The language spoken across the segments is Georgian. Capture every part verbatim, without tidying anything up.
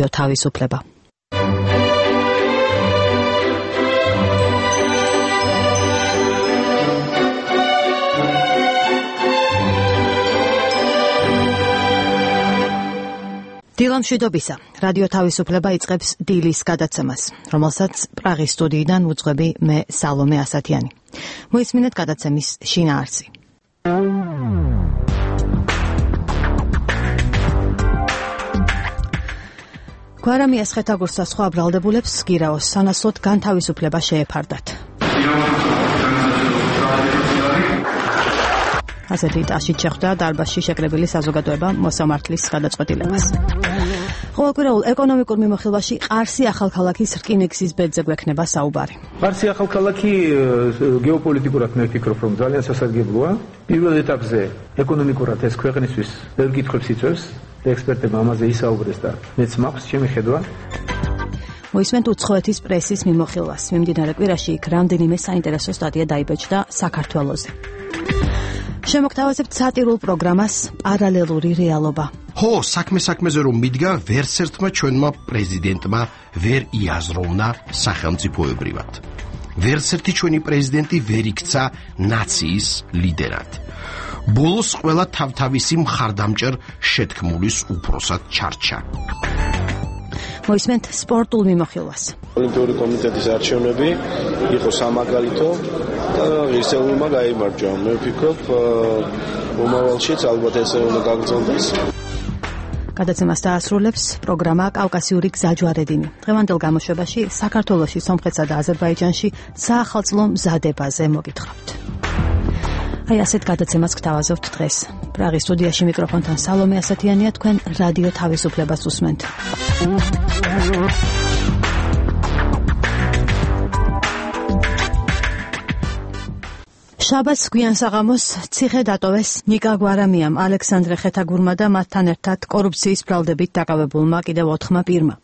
თავისუფლება. დილამშვიდობისა. რადიო თავისუფლება იწყებს დილის გადაცემას, რომელსაც პრაღის სტუდიიდან უძღვები მე სალომე ასათიანი. მოისმინეთ გადაცემის შინაარსი. გვარამიას ხეთაგურს და სხვა ბრალდებულებს გირაოს სანაცვლოდ განთავისუფლება შეეფარდათ. ასეთი ტაშით შეხვდა დარბაზში შეკრებილი საზოგადოება მოსამართლის გადაწყვეტილებას. ყოველკვირეულ ეკონომიკურ მიმოხილვაში ყარსი ახალქალაქის რკინიგზის ბედზე გვექნება საუბარი. ყარსი ახალქალაქი გეოპოლიტიკურად მე ვფიქრობ, რომ ძალიან სასარგებლოა. პირველ ეტაპზე ეკონომიკურად ეს ქვეყნისთვის ბევრ კითხვებს იწვევს და ექსპერტებმა ამაზე ისაუბრეს და მეც მაქვს ჩემი ხედვა. მოისმენთ უცხოეთის პრესის მიმოხილვას. მიმდინარე კვირაში იქ რამდენიმე საინტერესო სტატია დაიბეჭდა საქართველოზე. შემოგთავაზებთ სატირულ პროგრამას პარალელური რეალობა. ხო, საქმე საქმეზე რომ მიდგა, ვერც ერთმა ჩვენმა პრეზიდენტმა ვერ იაზროვნა სახელმწიფოებრივად. ვერც ერთი ჩვენი პრეზიდენტი ვერ იქცა ნაციის ლიდერად. ბოლოს ყველა თავთავისი მხარდამჭერ შეთქმულის უფროსად ჩარჩა. მოისმენთ სპორტულ მიმოხილვას. ოლიმპიური კომიტეტის არჩევნები იყო სამაგალითო და ისეულმა გაიმარჯვა. მე ვფიქრობ, მომავალშიც ალბათ ესე უნდა გაგრძელდეს. გადაცემას დაასრულებს პროგრამა კავკასიური გზაჯვარედინი. დღევანდელ გამოშვებაში საქართველოში, სომხეთსა და აზერბაიჯანში საახალწლო მზადებაზე მოგითხრობთ. აი ასეთ გადაცემას გთავაზობთ დღეს. პრაღის სტუდიაში მიკროფონთან სალომე ასათიანია, თქვენ რადიო თავისუფლებას უსმენთ. შაბათს გვიან საღამოს ციხე დატოვეს ნიკა გვარამიამ, ალექსანდრე ხეთაგურმა და მათთან ერთად კორუფციის ბრალდებით დაკავებულმა კიდევ ოთხმა პირმა.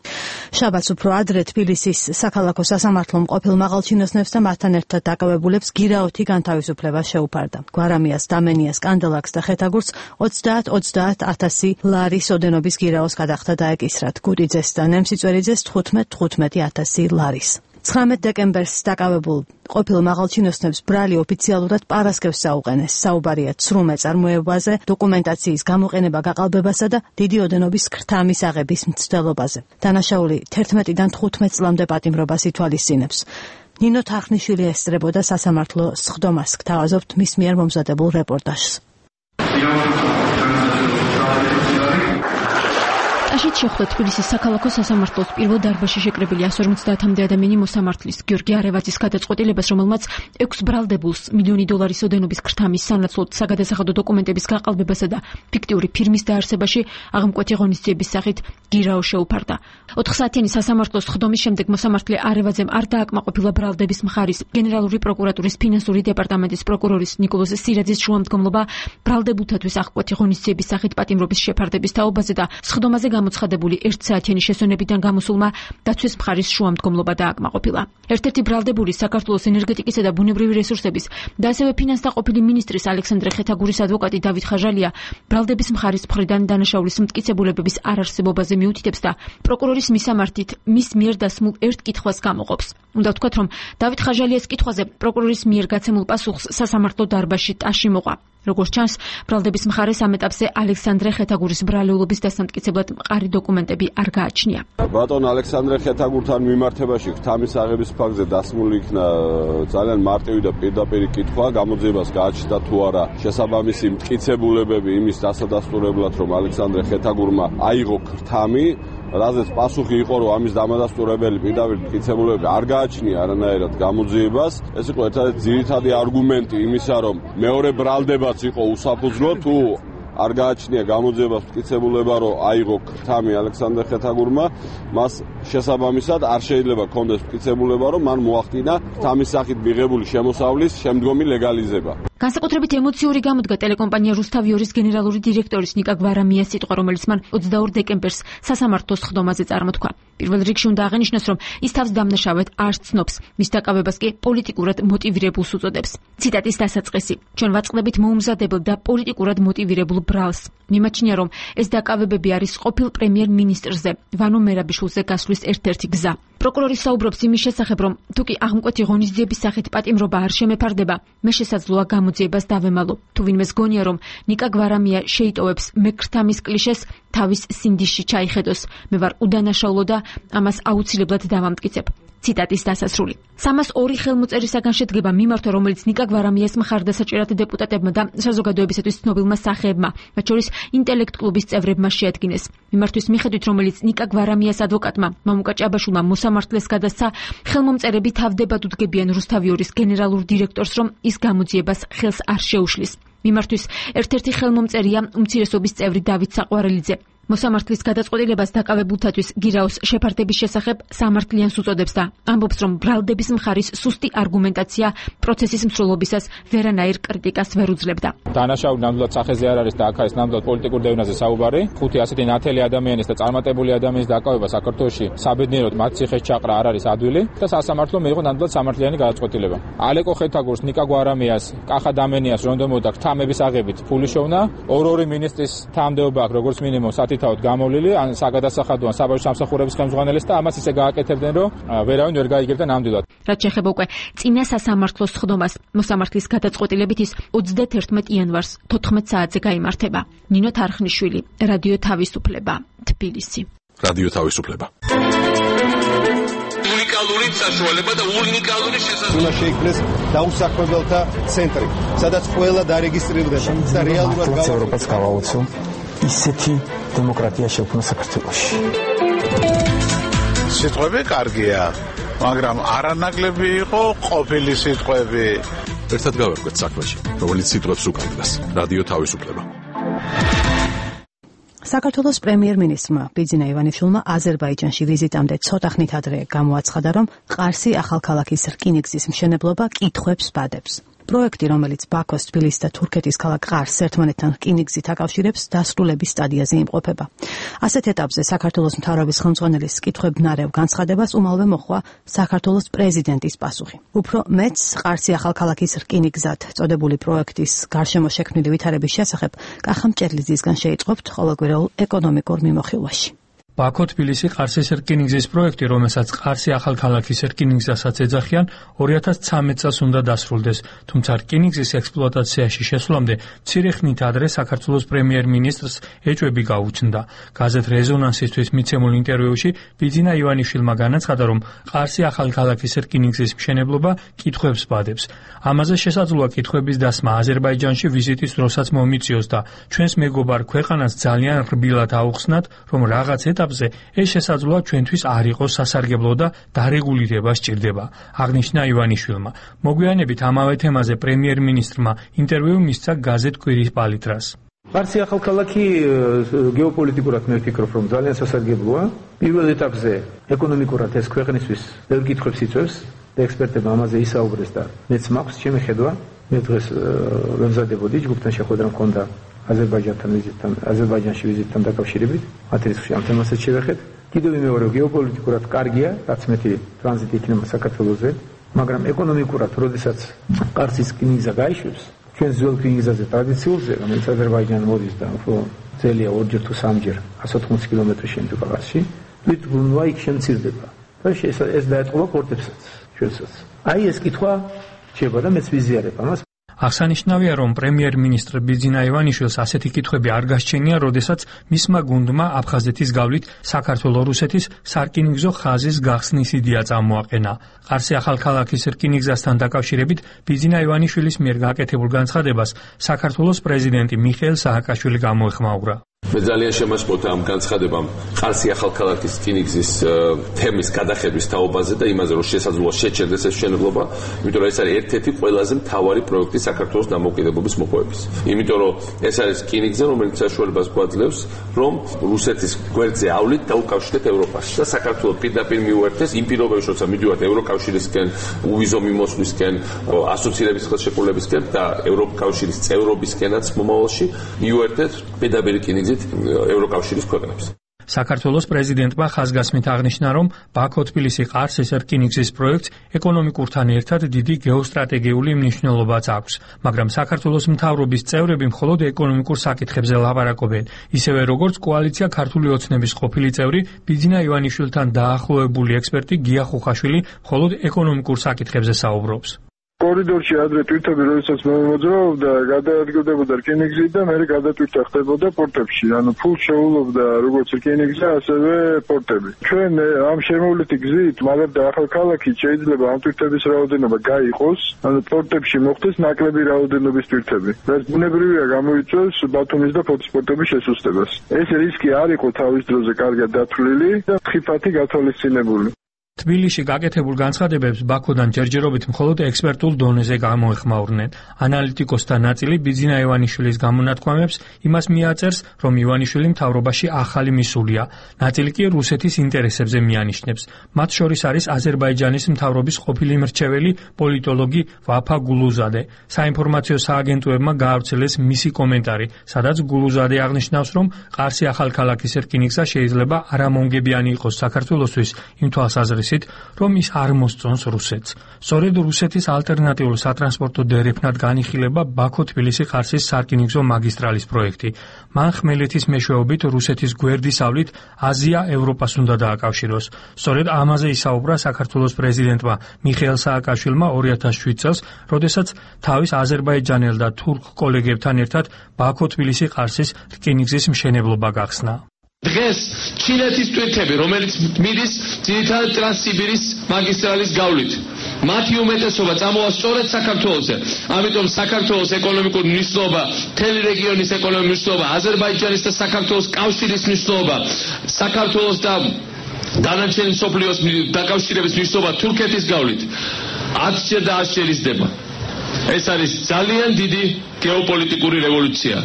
შაბათს უფრო ადრე თბილისის საქალაქო სასამართლომ ყოფილ მაღალჩინოსნებს და მათთან ერთად დაკავებულებს გირაოთი განთავისუფლება შეუფარდა. გვარამიას, დამენიას, კანდელაკს და ხეთაგურს ოცდაათ ოცდაათ ათასი ლარის ოდენობის გირაოს გადახდა დაეკისრათ. გუდიძეს და ნემსიწვერიძეს თხუთმეტ თხუთმეტი ათასი ლარის. ცხრამეტ დეკემბერს დაკავებულ ყოფილ მაღალჩინოსნებს ბრალი ოფიციალურად პარასკევს საუყენეს. საუბარია ცრუ მეწარმოებაზე, დოკუმენტაციის გამოყენება გაყალბებასა და დიდი ოდენობის ქრთამის აღების მცდელობაზე. დანაშაული თერთმეტიდან თხუთმეტ წლამდე პატიმრობას ითვალისწინებს. ნინო თარხნიშვილი ესწრებოდა სასამართლო სხდომას. გთავაზობთ მის მიერ მომზადებულ რეპორტაჟს. აშით შეხვდა თბილისის საქალაქო სასამართლოს პირველ დარბაზში შეკრებილი εκατს ორმოცდაათამდე ადამიანი მოსამართლის გიორგი არევაძის გადაწყვეტილებას, რომელმაც ექვს ბრალდებულს მილიონი დოლარის ოდენობის ქრთამის სანაცვლოდ საგადასახადო დოკუმენტების გაყალბებასა და ფიქტიური ფირმის დაარსებაში აღმკვეთი ღონისძიების სახით გირაო შეუფარდა. ოთხსაათიანი სასამართლოს სხდომის შემდეგ მოსამართლე არევაძემ არ დააკმაყოფილა ბრალდების მხარის გენერალური პროკურატურის ფინანსური დეპარტამენტის პროკურორის ნიკოლოზ სირაძის შუამდგომლობა ბრალდებულთათვის აღმკვეთი ღონისძიების სახით პატიმრობის შეფარდების თაობაზე და სხდომაზე გამოცხადებული ერთსაათიანი შესვენებიდან გამოსულმა დაცვის მხარის შუამდგომლობა დააკმაყოფილა. ერთ-ერთი ბრალდებული საქართველოს ენერგეტიკისა და ბუნებრივი რესურსების და ასევე ფინანსთა ყოფილი მინისტრის ალექსანდრე ხეთაგურის ადვოკატი დავით ხაჟალია ბრალდების მხარის მხრიდან დანაშაულის მტკიცებულებების არარსებობაზე მიუთითებს და პროკურორის მისამართით მის მიერ დასმულ ერთ კითხვას გამოყოფს. უნდა ვთქვათ, რომ დავით ხაჟალიას კითხვაზე პროკურორის მიერ გაცემულ პასუხს სასამართლო დარბაზში ტაში მოყვა. როგორც ჩანს, ბრალდების მხარეს ამ ეტაპზე ალექსანდრე ხეთაგურის ბრალეულობის დასამტკიცებლად მყარი დოკუმენტები არ გააჩნია. ბატონ ალექსანდრე ხეთაგურთან მიმართებაში ქრთამის აღების ფაქტზე დასმული იქნა ძალიან მარტივი და პირდაპირი კითხვა, გამოძიებას გააჩნდა თუ არა შესაბამისი მტკიცებულებები იმის დასადასტურებლად, რომ ალექსანდრე ხეთაგურმა აიღო ქრთამი, რაზეც პასუხი იყო, რომ ამის დამადასტურებელი პირდაპირ მტკიცებულებები არ გააჩნია არანაირად გამოძიებას. ეს იყო ერთადერთი ძირითადი არგუმენტი იმისა, რომ მეორე ბრალდებაც იყო უსაფუძვლო, თუ არ გააჩნია გამოძიებას მტკიცებულება, რომ აიღო ქრთამი ალექსანდრე ხეთაგურმა, მას შესაბამისად არ შეიძლება კონდეს მტკიცებულება, რომ მან მოახდინა ქრთამის სახით მიღებული შემოსავლის შემდგომი ლეგალიზება. განსაკუთრებით ემოციური გამოდგა ტელეკომპანია რუსთავიორის გენერალური დირექტორის ნიკა გვარამიას სიტყვა, რომელიც მან ოცდაორ დეკემბერს სასამართლოს ხდომაზე წარმოთქვა. პირველ რიგში უნდა აღინიშნოს, რომ ის თავს დამნაშავედ არ ცნობს, მის დაკავებას კი პოლიტიკურად მოტივირებულს უწოდებს. ციტატის დასაწყისი: ჩვენ ვაწყდებით მოუმზადებელ და პოლიტიკურად მოტივირებულ ბრალს. მიმაჩნია, რომ ეს დაკავებები არის ყოფილ პრემიერ-მინისტრზე, ვანო მერაბიშვილზე გასვლის ერთ-ერთი გზა. პროკურორი საუბრობს იმის შესახებ, რომ თუკი აღმკვეთი ღონისძიების სახით პატიმრობა არ შემეფარდება, მე შესაძლოა გამოძიებას დავემალო. თუ ვინმეს გონია, რომ ნიკა გვარამია შეიტოვებს მეკრთამის კლიშეს, თავის სინდისში ჩაიხედოს. მე ვარ უდანაშაულო და ამას აუცილებლად დავამტკიცებ. ციტატის დასასრული. სამას ორი ხელმოწერისაგან შედგება მიმართვა, რომელიც ნიკა გვარამიას მხარდასაჭერად დეპუტატებმა და საზოგადოებისათვის ცნობილმა სახეებმა, მათ შორის ინტელექტ კლუბის წევრებმა შეადგინეს. მიმართვის მიხედვით, რომელიც ნიკა გვარამიას ადვოკატმა მამუკა ჭაბაშვილმა მოსამართლეს გადასცა, ხელმომწერები თავდებად უდგებიან რუსთავიორის გენერალურ დირექტორს, რომ ის გამოძიებას ხელს არ შეუშლის. მიმართვის ერთ-ერთი ხელმომწერია უმცირესობის წევრი დავით საყვარელიძე. მოსამართლის გადაწყვეტილებას დაკავებულთათვის გირაოს შეფარდების შესახებ სამართლიანს უწოდებს და ამბობს, რომ ბრალდების მხარის სუსტი არგუმენტაცია პროცესის მსვლელობისას ვერანაირ კრიტიკას ვერ უძლებდა. დანაშაული ნამდვილად სახეზე არ არის და აქ არის ნამდვილად პოლიტიკურ დევნაზე საუბარი. ხუთი ასეთი ნათელი ადამიანის და წარმატებული ადამიანის დაკავება საქართველოში საბედნიეროდ მათ ციხეს ჩაყრა არ არის ადვილი და სასამართლომ მიიღო ნამდვილად სამართლიანი გადაწყვეტილება. ალეკო ხეთაგურს, ნიკა გვარამიას, კახა დამენიას რონდომოდა თამების აღებით ფული შოვნა. ორ-ორი მინისტრის თანამდებობა აქვს როგორც მინიმუმ თავად გამოვლილი, ან საგადასახადო ან საბავშვო სამსახურების ხელმძღვანელს და ამას ისე გააკეთებდნენ, რომ ვერავინ ვერ გაიგებდა ნამდვილად. რაც შეეხება უკვე წინა სასამართლოს ხდომას, მოსამართლის გადაწყვეტილებით ის ოცდაათი იანვარს თოთხმეტ საათზე გაიმართება. ნინო თარხნიშვილი, რადიო თავისუფლება, თბილისი. რადიო თავისუფლება. უნიკალური საშუალება და უნიკალური შესაძლებლობა შეიქმნეს დაუსაქმებელთა ცენტრი, სადაც ყველა დარეგისტრირდება და რეალურად ევროპას გავაუცო ისეთი დემოკრატია შექმნა საქართველოში. სიტყვები კარგია, მაგრამ არანაკლები იყო ყოფილი სიტყვები. ერთად გავერკვეთ საქმეში, რომელიც სიტყვებს უკავშირდება. რადიო თავისუფლება. საქართველოს პრემიერ-მინისტრმა ბიძინა ივანიშვილმა აზერბაიჯანში ვიზიტამდე ცოტა ხნით ადრე გამოაცხადა, რომ ყარსი ახალქალაქის რკინიგზის მშენებლობა კითხვებს ბადებს. პროექტი, რომელიც ბაქოს, თბილისის და თურქეთის ქალაქ ყარსს ერთმანეთთან რკინიგზით აკავშირებს, დასრულების სტადიაზე იმყოფება. ასეთ ეტაპზე საქართველოს მთავრობის ხელმძღვანელის კითხვებნარევ განცხადებას უმალვე მოჰყვა საქართველოს პრეზიდენტის პასუხი. უფრო მეც ყარსი ახალქალაქის რკინიგზად წოდებული პროექტის გარშემო შექმნილი ვითარების შესახებ კახა მჭერლიძისგან შეიწყობთ ყოველკვირეულ ეკონომიკურ მიმოხილვაში. ბაქო-თბილისი ყარსის რკინიგზის პროექტი, რომელსაც ყარსი ახალქალაქის რკინიგზასაც ეძახიან, ორი ათას ცხრამეტ წელს უნდა დასრულდეს, თუმცა რკინიგზის ექსპლუატაციაში შესვლამდე მცირე ხნით ადრე საქართველოს პრემიერ-მინისტრს ეჭვები გაუჩნდა. გაზეთ რეზონანსისთვის მიცემულ ინტერვიუში ბიძინა ივანიშვილმა განაცხადა, რომ ყარსი ახალქალაქის რკინიგზის მშენებლობა კითხვებს ბადებს. ამაზე შესაძლოა კითხვების დასმა აზერბაიჯანში ვიზიტის დროსაც მომიწიოს და ჩვენს მეგობარ ქვეყანას ძალიან რბილად აუხსნათ, რომ რაღაც ეტაპზე ეს შესაძლოა ჩვენთვის არ იყოს სასარგებლო და დარეგულირება სჭირდება, აღნიშნა ივანიშვილმა. მოგვიანებით ამავე თემაზე პრემიერ-მინისტრმა ინტერვიუ მისცა გაზეთ კვირის პალიტრას. ყარსი ახალქალაქი გეოპოლიტიკურად მე ვფიქრობ, რომ ძალიან სასარგებლოა. პირველ ეტაპზე ეკონომიკურად ეს ქვეყნისთვის ბევრ კითხვებს იწვევს და ექსპერტებმა ამაზე ისაუბრეს და მეც მაქვს ჩემი ხედვა. მე დღეს ვემზადებოდი ჯგუფთან შეხვედრა მქონდა აზერბაიჯანთან ვიზიტთან, აზერბაიჯანში ვიზიტთან დაკავშირებით, მათ რისხში ამ თემასაც შევეხეთ. კიდევ ვიმეორე, გეოპოლიტიკურად კარგია, რაც მეტი ტრანზიტი იქნება საქართველოზე, მაგრამ ეკონომიკურად, როდესაც ყარსის რკინიგზა გაიშვებს, ჩვენ ძველ რკინიგზაზე ტრადიციულზე, რომელიც აზერბაიჯანი მოდის და უფრო ძელია ორჯერ თუ სამჯერ, εκατს ოთხმოცი კილომეტრი შემდგა ყარსში, თვითბრუნვა იქ შემცირდება. და ეს დაეთყობა პორტებსაც, ჩვენსაც. აი ეს კითხვა შეება და მეც ვიზიარებ ამას. აღსანიშნავია, რომ პრემიერ-მინისტრ ბიძინა ივანიშვილს ასეთი კითხვები არ გასჩენია, როდესაც მისმა გუნდმა აფხაზეთის გავლით საქართველო-რუსეთის სარკინიგზო ხაზის გახსნის იდეა წამოაყენა. ყარსი ახალქალაქის რკინიგზასთან დაკავშირებით ბიძინა ივანიშვილის მიერ გაკეთებულ განცხადებას საქართველოს პრეზიდენტი მიხეილ სააკაშვილი გამოეხმაურა. მე ძალიან შემაშფოთა ამ განცხადებამ ყარსი ახალქალაქის რკინიგზის თემის გადახების თაობაზე და იმაზე რომ შესაძლოა შეჩერდეს ეს მშენებლობა, იმიტომ რომ ეს არის ერთ-ერთი ყველაზე მთავარი პროექტი საქართველოს დამოუკიდებლობის მოპოვების. იმიტომ რომ ეს არის რკინიგზა, რომელიც საშუალებას გვაძლევს, რომ რუსეთის გვერდზე ავლით დაუკავშირდეთ ევროპას და საქართველოს პირდაპირ მიუერთდეს იმ პირობებში, როცა მიდივართ ევროკავშირისკენ, უვიზო მიმოსვლისკენ, ასოცირების ხელშეკრულებისკენ და ევროკავშირის წევრობისკენაც მომავალში მიუერთდეთ პირდაპირ რკინიგზით ევროკავშირის ქვეყნებს. საქართველოს პრეზიდენტმა ხაზგასმით აღნიშნა, რომ ბაქო-თბილისი-ყარსის რკინიგზის პროექტს ეკონომიკურთან ერთად დიდი გეოსტრატეგიული მნიშვნელობაც აქვს, მაგრამ საქართველოს მთავრობის წევრები მხოლოდ ეკონომიკურ საკითხებზე ლაპარაკობენ, ისევე როგორც კოალიცია ქართული ოცნების ყოფილი წევრი ბიძინა ივანიშვილთან დაახლოებული ექსპერტი გია ხუხაშვილი მხოლოდ ეკონომიკურ საკითხებზე საუბრობს. კორიდორში ადრე ტვირთები, როდესაც მოძრაობდა, გადაადგილდებოდა რკინიგზი და მერე გადატვირთა ხდებოდა პორტებში. ანუ ფულს შეულობდა როგორც რკინიგზი, ასევე პორტები. ჩვენ ამ შემოვლითი გზით, მაგრამ და ახალქალაქით შეიძლება ამ ტვირთების რაოდენობა გაიყოს, ანუ პორტებში მოხდეს ნაკლები რაოდენობის ტვირთები. რაც ბუნებრივია გამოიწვევს ბათუმის და ფოთის პორტების შესუსტებას. ეს რისკი არ იყო თავის დროზე კარგად დათვლილი და ხიფათი გათვალისწინებული. თბილისში გაკეთებულ განცხადებებს ბაქოდან ჯერჯერობით მხოლოდ ექსპერტულ დონეზე გამოეხმაურნენ. ანალიტიკოსთა ნაწილი ბიძინა ივანიშვილის გამონათქვამებს იმას მიაწერს, რომ ივანიშვილი მთავრობაში ახალი მისულია. ნაწილი კი რუსეთის ინტერესებზე მიანიშნებს. მათ შორის არის აზერბაიჯანის მთავრობის ყოფილი მრჩეველი პოლიტოლოგი ვაფა გულუზადე. საინფორმაციო სააგენტოებმა გაავრცელეს მისი კომენტარი, სადაც გულუზადე აღნიშნავს, რომ ყარსი ახალქალაქის რკინიგზა შეიძლება არამონგებიანი იყოს საქართველოსთვის იმ თვალსაზრისით, რომ ის არ მოსწონს რუსეთს. სწორედ რუსეთის ალტერნატიულ სატრანსპორტო დერეფნად განიხილება ბაქო-თბილისი-ყარსის სარკინიგზო მაგისტრალის პროექტი. მან ხმელეთის მეშვეობით რუსეთის გვერდისავლით აზია ევროპას უნდა დააკავშიროს. სწორედ ამაზე ისაუბრა საქართველოს პრეზიდენტმა მიხეილ სააკაშვილმა ორი ათას შვიდ წელს, როდესაც თავის აზერბაიჯანელ და თურქ კოლეგებთან ერთად ბაქო-თბილისი-ყარსის რკინიგზის მშენებლობა გახსნა. დღეს ჩინეთის ტვირთები, რომელიც მიდის ძირითადად ტრანსსიბირის მაგისტრალის გავლით, მათი უმეტესობა წამოვა სწორედ საქართველოზე. ამიტომ საქართველოს ეკონომიკური მნიშვნელობა, მთელი რეგიონის ეკონომიკური მნიშვნელობა, აზერბაიჯანის და საქართველოს კავშირის მნიშვნელობა, საქართველოს და დანარჩენი მსოფლიოს დაკავშირების მნიშვნელობა თურქეთის გავლით ათჯერ და ათჯერ იზრდება. ეს არის ძალიან დიდი გეოპოლიტიკური რევოლუცია.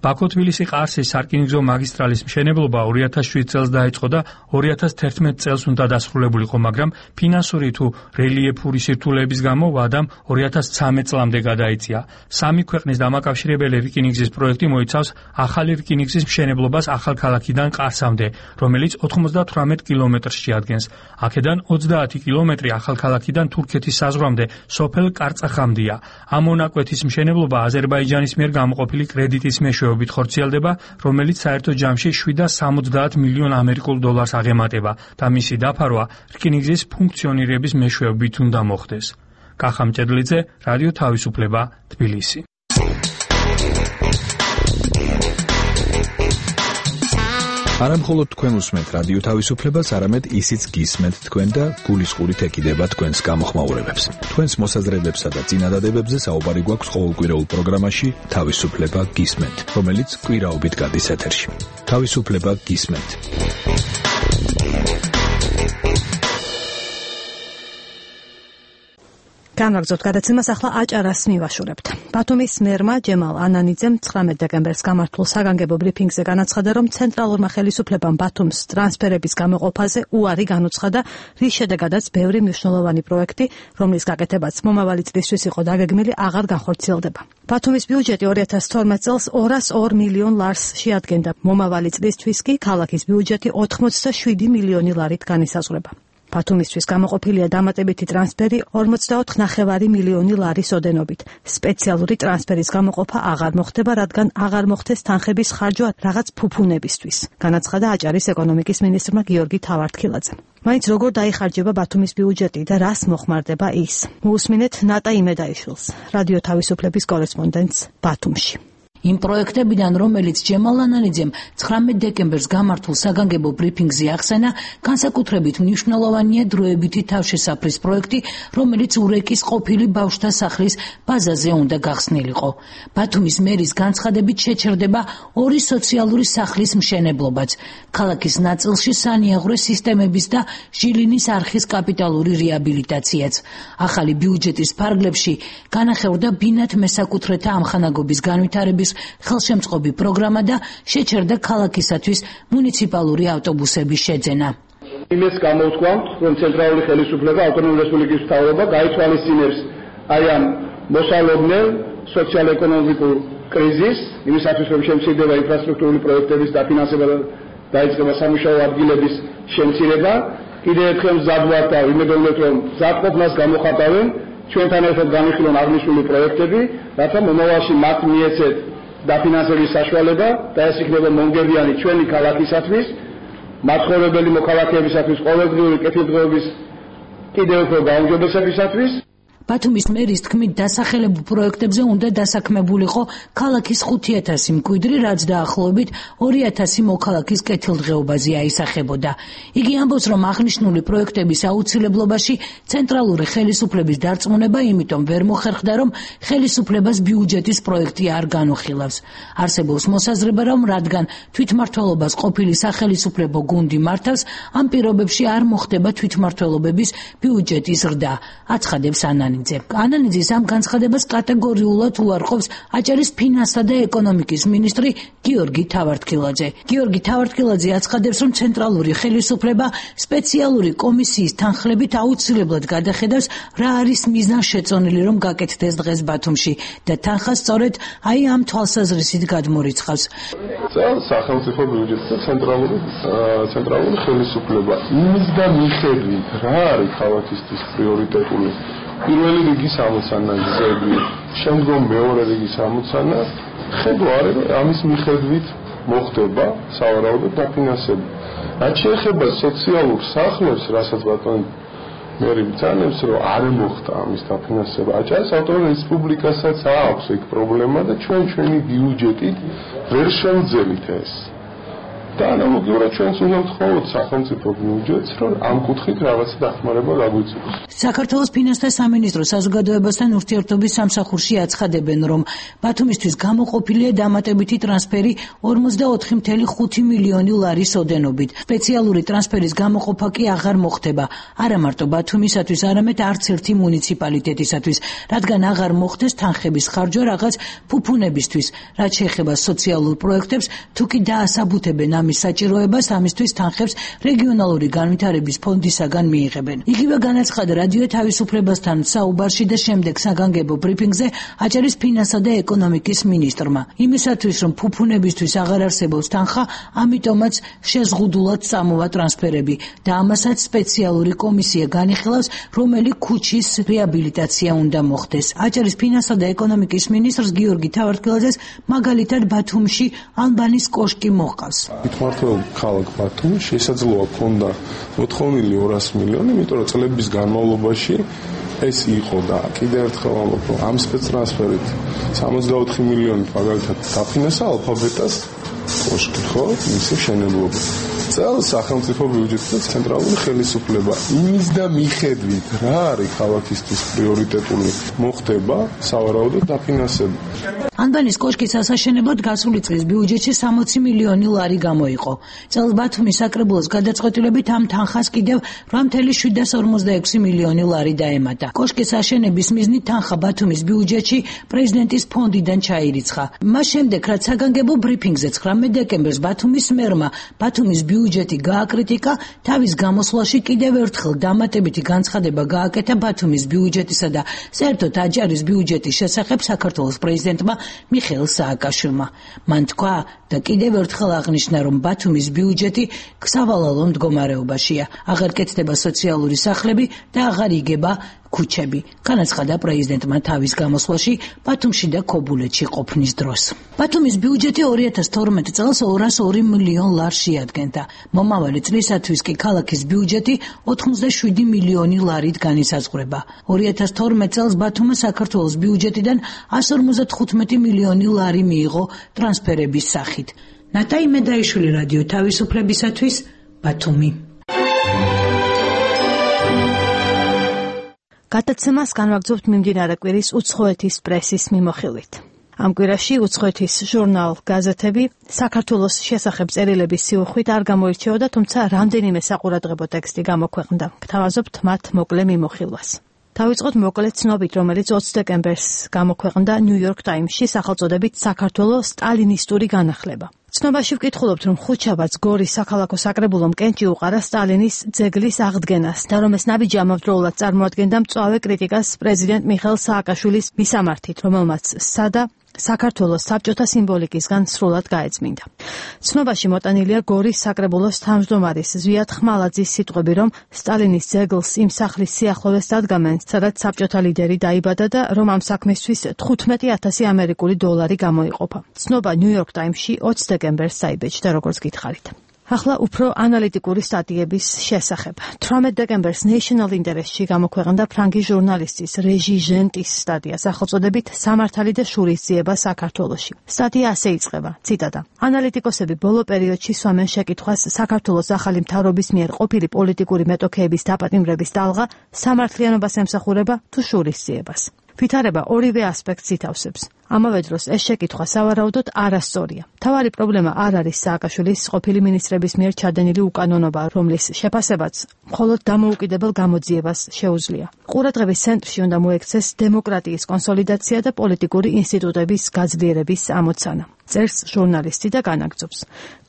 ბაქო-თბილისი-ყარსის სარკინიგზო მაგისტრალის მშენებლობა ორი ათას შვიდ წელს დაიწყო და ორი ათას თერთმეტ წელს უნდა დასრულებულიყო, მაგრამ ფინანსური თუ რელიეფური სირთულეების გამო ვადამ ორი ათას ცხრამეტ წლამდე გადაიწია. სამი ქვეყნის დამაკავშირებელი რკინიგზის პროექტი მოიცავს ახალი რკინიგზის მშენებლობას ახალქალაქიდან ყარსამდე, რომელიც ოცდათვრამეტ კილომეტრს შეადგენს. აქედან ოცდაათი კილომეტრი ახალქალაქიდან თურქეთის საზღვრამდე სოფელ კარწახამდეა. ამ მონაკვეთის მშენებლობა აზერბაიჯანის მიერ გამოყოფილი კრედიტის მეშვეობით ხორციელდება, რომელიც საერთო ჯამში შვიდ და სამოცდაათ მილიონ ამერიკულ დოლარს აღემატება და მისი დაფარვა რკინიგზის ფუნქციონირების მეშვეობით უნდა მოხდეს. კახა მჭედლიძე, რადიო თავისუფლება, თბილისი. არა მხოლოდ თქვენ უსმენთ რადიო თავისუფლებას, არამედ ისიც გისმენთ თქვენ და გულისყურით ეკიდება თქვენს გამოხმაურებებს. თქვენს მოსაზრებებსა და წინადადებებზე საუბარი გვაქვს ყოველკვირეულ პროგრამაში თავისუფლება გისმენთ, რომელიც კვირაობით გადის ეთერში. თავისუფლება გისმენთ. განვაგრძობთ გადაცემას, ახლა აჭარას მივაშურებთ. ბათუმის მერმა ჯემალ ანანიძემ ცხრამეტ დეკემბერს გამართულ საგანგებო ბრიფინგზე განაცხადა, რომ ცენტრალურმა ხელისუფლებამ ბათუმს ტრანსფერების გამოყოფაზე უარი განუცხადა, რის შედეგადაც ბევრი მნიშვნელოვანი პროექტი, რომლის გაკეთებაც მომავალი წლისთვის იყო დაგეგმილი, აღარ განხორციელდება. ბათუმის ბიუჯეტი ორი ათას თორმეტ წელს ორას ორ მილიონ ლარს შეადგენდა. მომავალი წლისთვის კი ქალაქის ბიუჯეტი ოთხმოცდაშვიდი მილიონი ლარით განისაზღვრება. ბათუმისთვის გამოყოფილია დამატებითი ტრანსფერი ორმოცდაოთხ ნახევარი მილიონი ლარის ოდენობით. სპეციალური ტრანსფერის გამოყოფა აღარ მოხდება, რადგან აღარ მოხდეს თანხების ხარჯვა რაღაც ფუფუნებისთვის, განაცხადა აჭარის ეკონომიკის მინისტრმა გიორგი თავართქილაძემ. მაინც როგორ დაიხარჯება ბათუმის ბიუჯეტი და რას მოხმარდება ის? მოусმინეთ ნატა იმედაიშვილს, რადიო თავისუფლების კორესპონდენტს ბათუმში. იმ პროექტებიდან, რომელიც ჯემალ ანანიძემ ცხრამეტ დეკემბერს გამართულ საგანგებო ბრიფინგზე ახსენა, განსაკუთრებით მნიშვნელოვანია დროებითი თავშესაფრის პროექტი, რომელიც ურეკის ყოფილი ბავშვთა სახლის ბაზაზე უნდა გახსნილიყო. ბათუმის მერის განცხადებით შეჩერდება ორი სოციალური სახლის მშენებლობაც, ქალაქის ნაწილში სანიაღვრე სისტემების და ჟილინის არხის კაპიტალური რეაბილიტაციაც. ახალი ბიუჯეტის ფარგლებში განახევრდა ბინათ მესაკუთრეთა ამხანაგობის განვითარების ხელშემწყობი პროგრამა და შეჩერდა ქალაქისათვის მუნიციპალური ავტობუსების შეძენა. იმის გამოვთქვამთ, რომ ცენტრალური ხელისუფლება ავტონომიური რესპუბლიკის მთავრობა გაითვალისწინებს აი ამ მოსალოდნელ სოციალ-ეკონომიკურ კრიზისს, იმისათვის რომ შემცირდება ინფრასტრუქტურული პროექტების დაფინანსება და დაიწყება სამუშაო ადგილების შემცირება. კიდევ ერთხელ მზად ვართ და ვიმედოვნებთ, რომ მზადყოფნას გამოხატავენ ჩვენთან ერთად განვიხილონ აღნიშნული პროექტები, რათა მომავალში მათ მიეცეთ დაფინანსების საშუალება და ეს იქნება მონგებიანი ჩვენი ქალაქისათვის, მაცხოვრებელი მოქალაქეებისათვის ყოველდღიური კეთილდღეობის კიდევ უფრო გაუმჯობესებისათვის. ბათუმის მერის თქმით, დასახელებულ პროექტებზე უნდა დასაქმებულიყო ქალაქის ხუთი ათასი მკვიდრი, რაც დაახლოებით ორი ათასი მოქალაქის კეთილდღეობაზე აისახებოდა. იგი ამბობს, რომ აღნიშნული პროექტების აუცილებლობაში ცენტრალური ხელისუფლების დარწმუნება იმიტომ ვერ მოხერხდა, რომ ხელისუფლებას ბიუჯეტის პროექტი არ განუხილავს. არსებობს მოსაზრება, რომ რადგან თვითმმართველობას ყოფილი სახელისუფლებო გუნდი მართავს, ამ პირობებში არ მოხდება თვითმმართველობების ბიუჯეტის ზრდა, აცხადებს ანანიძე. ანანიძის ამ განცხადებას კატეგორიულად უარყოფს აჭარის ფინანსთა და ეკონომიკის მინისტრი გიორგი თავართქილაძე. გიორგი თავართქილაძე აცხადებს, რომ ცენტრალური ხელისუფლება სპეციალური კომისიის თანხლებით აუცილებლად გადახედავს, რა არის მიზანშეწონილი, რომ გაკეთდეს დღეს ბათუმში და თანხა სწორედ აი ამ თვალსაზრისით გადმორიცხავს. წელს სახელმწიფო ბიუჯეტი და ცენტრალური ცენტრალური ხელისუფლება იმის და მიხედვით რა არის ქალაქისთვის პრიორიტეტული პირველი რიგის ამოცანა გზები, შემდგომ მეორე რიგის ამოცანა, ხედვა არის, რომ ამის მიხედვით მოხდება სავარაუდოდ დაფინანსება. რაც შეეხება სოციალურ სახლებს, რასაც ბატონი მერი ბრძანებს, რომ არ მოხდა ამის დაფინანსება. აჭარის ავტონომიურ რესპუბლიკასაც აქვს ეგ პრობლემა და ჩვენ ჩვენი ბიუჯეტით ვერ შევძელით ეს. და ანალოგიურად ჩვენც უნდა ვთხოვოთ სახელმწიფო ბიუჯეტს, რომ ამ კუთხით რაღაცა დახმარება გაგვიწევს. საქართველოს ფინანსთა სამინისტრო საზოგადოებასთან ურთიერთობის სამსახურში აცხადებენ, რომ ბათუმისთვის გამოყოფილია დამატებითი ტრანსფერი ორმოცდაოთხი წუთი ხუთი მილიონი ლარის ოდენობით. სპეციალური ტრანსფერის გამოყოფა კი აღარ მოხდება, არა მარტო ბათუმისათვის, არამედ არც ერთი მუნიციპალიტეტისათვის, რადგან აღარ მოხდეს თანხების ხარჯვა რაღაც ფუფუნებისთვის, რაც შეეხება სოციალურ პროექტებს, თუ კი დაასაბუთებენ ამის საჭიროებას, ამისთვის თანხებს რეგიონალური განვითარების ფონდისაგან მიიღებენ. იგივე განაცხადა რადიო თავისუფლებასთან საუბარში და შემდეგ საგანგებო ბრიფინგზე აჭარის ფინანსთა და ეკონომიკის მინისტრმა. იმისათვის, რომ ფუფუნებისთვის აღარ არსებობს თანხა, ამიტომაც შეზღუდულად წამოვა ტრანსფერები და ამასაც სპეციალური კომისია განიხილავს, რომელი ქუჩის რეაბილიტაცია უნდა მოხდეს. აჭარის ფინანსთა და ეკონომიკის მინისტრს გიორგი თავართქილაძეს მაგალითად ბათუმში ალბანის კოშკი მოჰყავს. თვითმმართველ ქალაქ ბათუმი შესაძლოა ქონდა მოთხოვნილი ორასი მილიონი, იმიტომ რომ წლების განმავლობაში ეს იყო და კიდევ ერთხელ ამბობ, რომ ამ სპეცტრანსფერით სამოცდაოთხი მილიონი მაგალითად დაფინანსა ალფაბეტას კოშკი, ხო, მისი მშენებლობა. წელს სახელმწიფო ბიუჯეტი და ცენტრალური ხელისუფლება იმის და მიხედვით რა არის ქალაქისთვის პრიორიტეტული მოხდება სავარაუდოდ დაფინანსება. ალბანის კოშკის ასაშენებლად გასული წლის ბიუჯეტში სამოცი მილიონი ლარი გამოიყო. წელს ბათუმის საკრებულოს გადაწყვეტილებით ამ თანხას კიდევ რვა წუთი შვიდას ორმოცდაექვსი მილიონი ლარი დაემატა. კოშკის აშენების მიზნით თანხა ბათუმის ბიუჯეტში პრეზიდენტის ფონდიდან ჩაირიცხა. მას შემდეგ, რაც საგანგებო ბრიფინგზე ცხრამეტ დეკემბერს ბათუმის მერმა ბათუმის ბიუჯეტი გააკრიტიკა, თავის გამოსვლაში კიდევ ერთხელ დამატებითი განცხადება გააკეთა ბათუმის ბიუჯეტისა და საერთოდ აჭარის ბიუჯეტის შესახებ საქართველოს პრეზიდენტმა მიხეილ სააკაშვილმა. მან თქვა და კიდევ ერთხელ აღნიშნა, რომ ბათუმის ბიუჯეტი სავალალო მდგომარეობაშია. აღარ კეთდება სოციალური სახლები და აღარ იგება ქუჩები. განაცხადა პრეზიდენტმა თავის გამოსვლაში ბათუმში და ქობულეთში ყოფნის დროს. ბათუმის ბიუჯეტი ორი ათას თორმეტ წელს ორას ორი მილიონ ლარს შეადგენდა. მომავალი წლისათვის კი ქალაქის ბიუჯეტი ოთხმოცდაშვიდი მილიონი ლარით განისაზღვრება. ორი ათას თორმეტ წელს ბათუმმა საქართველოს ბიუჯეტიდან ასი ორმოცდათხუთმეტი მილიონი ლარი მიიღო ტრანსფერების სახით. ნატაი მედაიშვილი, რადიო თავისუფლებისათვის, ბათუმი. გადაცემას განვაგრძობთ მიმდინარე კვირის უცხოეთის პრესის მიმოხილვით. ამ კვირაში უცხოეთის ჟურნალ გაზეთები საქართველოს შესახებ წერილების სიუხვით არ გამოირჩეოდა, თუმცა რამდენიმე საყურადღებო ტექსტი გამოქვეყნდა. გთავაზობთ მათ მოკლე მიმოხილვას. დავიწყოთ მოკლე ცნობით, რომელიც ოცი დეკემბერს გამოქვეყნდა New York Times-ში სახელწოდებით საქართველოს სტალინისტური განახლება. ცნობაში ვკითხულობთ, რომ ხუთშაბათს გორის საქალაქო საკრებულომ კენჭი უყარა სტალინის ძეგლის აღდგენას და რომ ეს ნაბიჯი ამავდროულად წარმოადგენდა მწვავე კრიტიკას პრეზიდენტ მიხეილ სააკაშვილის მისამართით, რომელმაც სადა საქართველოს საბჭოთა სიმბოლიკისგან სრულად გაეწმინდა. ცნობაში მოტანილია გორის საკრებულოს თავმჯდომარის ზვიად ხმალაძის სიტყვები, რომ სტალინის ძეგლს იმ სახლის სიახლოვეს დადგამენ, სადაც საბჭოთა ლიდერი დაიბადა და რომ ამ საქმისთვის თხუთმეტი ათასი ამერიკული დოლარი გამოიყოფა. ცნობა New York Times-ში ოცი დეკემბერს დაიბეჭდა, როგორც გითხარით. ახლა უფრო ანალიტიკური სტატიების შესახებ. თვრამეტ დეკემბერს National Interest-ში გამოქვეყნდა ფრანგი ჟურნალისტის რეჟი ჟენტის სტატია სახელწოდებით სამართალი და შურისძიება საქართველოში. სტატია ასე იწყება, ციტატა: ანალიტიკოსები ბოლო პერიოდში სვამენ შეკითხვას საქართველოს ახალი მთავრობის მიერ ყოფილი პოლიტიკური მეტოქეების დაპატიმრების ტალღა სამართლიანობას ემსახურება თუ შურისძიებას. ვითარება ორივე ასპექტს ითავსებს. ამავე დროს ეს შეკითხვა სავარაუდოდ არასწორია. მთავარი პრობლემა არ არის სააკაშვილის ყოფილი მინისტრების მიერ ჩადენილი უკანონობა, რომლის შეფასებაც მხოლოდ დამოუკიდებელ გამოძიებას შეუძლია. ყურადღების ცენტრში უნდა მოექცეს დემოკრატიის კონსოლიდაცია და პოლიტიკური ინსტიტუტების გაძლიერების ამოცანა. წერს ჟურნალისტი და განაგრძობს.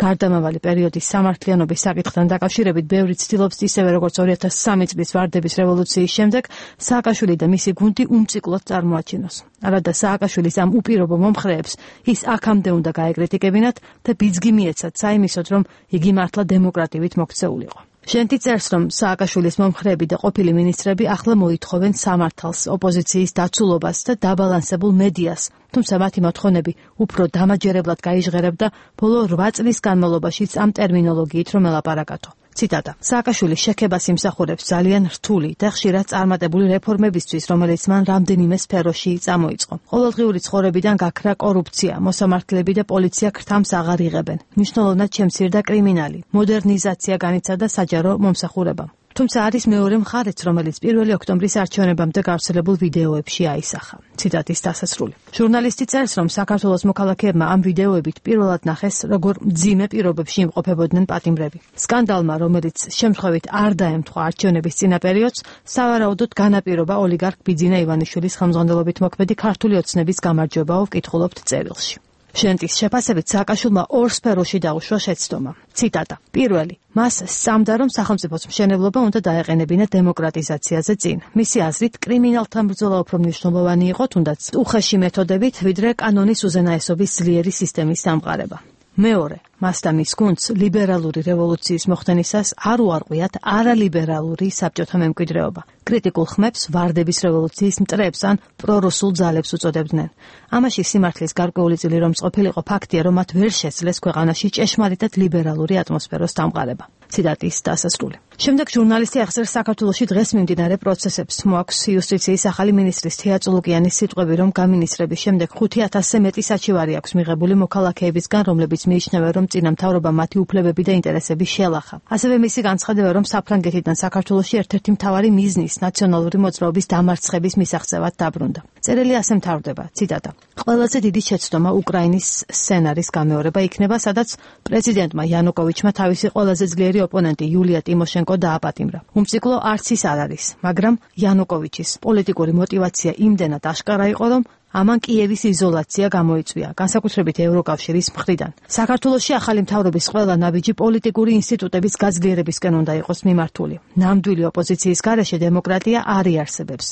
გარდამავალი პერიოდის სამართლიანობის საკითხთან დაკავშირებით ბევრი ცდილობს ისევე როგორც ორი ათას სამი წლის ვარდების რევოლუციის შემდეგ სააკაშვილი და მისი გუნდი უმციკლოდ წარმოაჩინოს. არადა სააკაშვილის ამ უპირობო მომხრეებს ის აქამდე უნდა გაეკრიტიკებინათ და ბიძგი მიეცათ საიმისოდ, რომ იგი მართლა დემოკრატიით მოქცეულიყო. ჟენტი წერს, რომ სააკაშვილის მომხრეები და ყოფილი მინისტრები ახლა მოითხოვენ სამართალს, ოპოზიციის დაცულობას და დაბალანსებულ მედიას, თუმცა მათი მოთხოვნები უფრო დამაჯერებლად გაიჟღერებდა ბოლო რვა წლის განმავლობაშიც ამ ტერმინოლოგიით რომ ელაპარაკათო. ციტატა: სააკაშვილი შექებას იმსახურებს ძალიან რთული და ხშირად წარმატებული რეფორმებისთვის, რომელიც მან რამდენიმე სფეროში წამოიწყო. ყოველდღიური ცხოვრებიდან გაქრა კორუფცია, მოსამართლეები და პოლიცია ქრთამს აღარ იღებენ. მნიშვნელოვნად შემცირდა კრიმინალი, მოდერნიზაცია განიცადა საჯარო მომსახურებამ. თუმცა არის მეორე მხარეც, რომელიც პირველი ოქტომბრის არჩევნებამდე გავრცელებულ ვიდეოებში აისახა. ციტატის დასასრული. ჟურნალისტი წერს, რომ საქართველოს მოქალაქეებმა ამ ვიდეოებით პირველად ნახეს, როგორ მძიმე პირობებში იმყოფებოდნენ პატიმრები. სკანდალმა, რომელიც შემთხვევით არ დაემთხვა არჩევნების წინა პერიოდს, სავარაუდოდ განაპირობა ოლიგარქ ბიძინა ივანიშვილის ხელმძღვანელობით მოქმედი ქართული ოცნების გამარჯვებაო, ვკითხულობთ წერილში. ჟენტის შეფასებით სააკაშვილმა ორ სფეროში დაუშვა შეცდომა. ციტატა: პირველი, მას სწამდა, რომ სახელმწიფოს მშენებლობა უნდა დაეყენებინა დემოკრატიზაციაზე წინ. მისი აზრით, კრიმინალთან ბრძოლა უფრო მნიშვნელოვანი იყო, თუნდაც უხეში მეთოდებით, ვიდრე კანონის უზენაესობის ძლიერი სისტემის დამყარება. მეორე, მას და მის გუნდს ლიბერალური რევოლუციის მოხდენისას არ უარყვიათ არალიბერალური საბჭოთა მემკვიდრეობა. კრიტიკულ ხმებს ვარდების რევოლუციის მტრებს ან პრორუსულ ძალებს უწოდებდნენ. ამაში სიმართლის გარკვეული წილი რომ ყოფილიყო ფაქტია, რომ მათ ვერ შეძლეს ქვეყანაში ჭეშმარიტად ლიბერალური ატმოსფეროს დამყარება. ციტატის დასასრული. შემდეგ ჟურნალისტი ახსენებს საქართველოში დღეს მიმდინარე პროცესებს. მოაქვს იუსტიციის ახალი მინისტრის თეა წულუკიანის სიტყვები, რომ გამინისტრების შემდეგ ხუთი ათასზე მეტი საჩივარი აქვს მიღებული მოქალაქეებისგან, რომლებიც მიიჩნევენ, რომ წინა მთავრობამ მათი უფლებები და ინტერესები შეალახა. ასევე მისი განცხადება, რომ საფრანგეთიდან საქართველოში ერთ-ერთი მთავარი მიზნის ნაციონალური მოძრაობის დამარცხების მისაღწევად დაბრუნდა. წერილი ასე მთავრდება, ციტატა: ყველაზე დიდი შეცდომა უკრაინის სცენარის გამეორება იქნება, სადაც პრეზიდენტმა იანუკოვიჩმა თავისი ყველაზე ძლიერი ოპონენტი იულია ტიმოშენკო დააპატიმრა. უმციკლო არც ის არ არის, მაგრამ იანუკოვიჩის პოლიტიკური мотиваცია იმდენად აშკარა იყო, რომ ამან კიევის იზოლაცია გამოიწვია, განსაკუთრებით ევროკავშირის მხრიდან. საქართველოში ახალი მთავრობის ყველა ნაბიჯი პოლიტიკური ინსტიტუტების გაძლიერებისკენ უნდა იყოს მიმართული. ნამდვილი ოპოზიციის გარეშე დემოკრატია არ იარსებებს.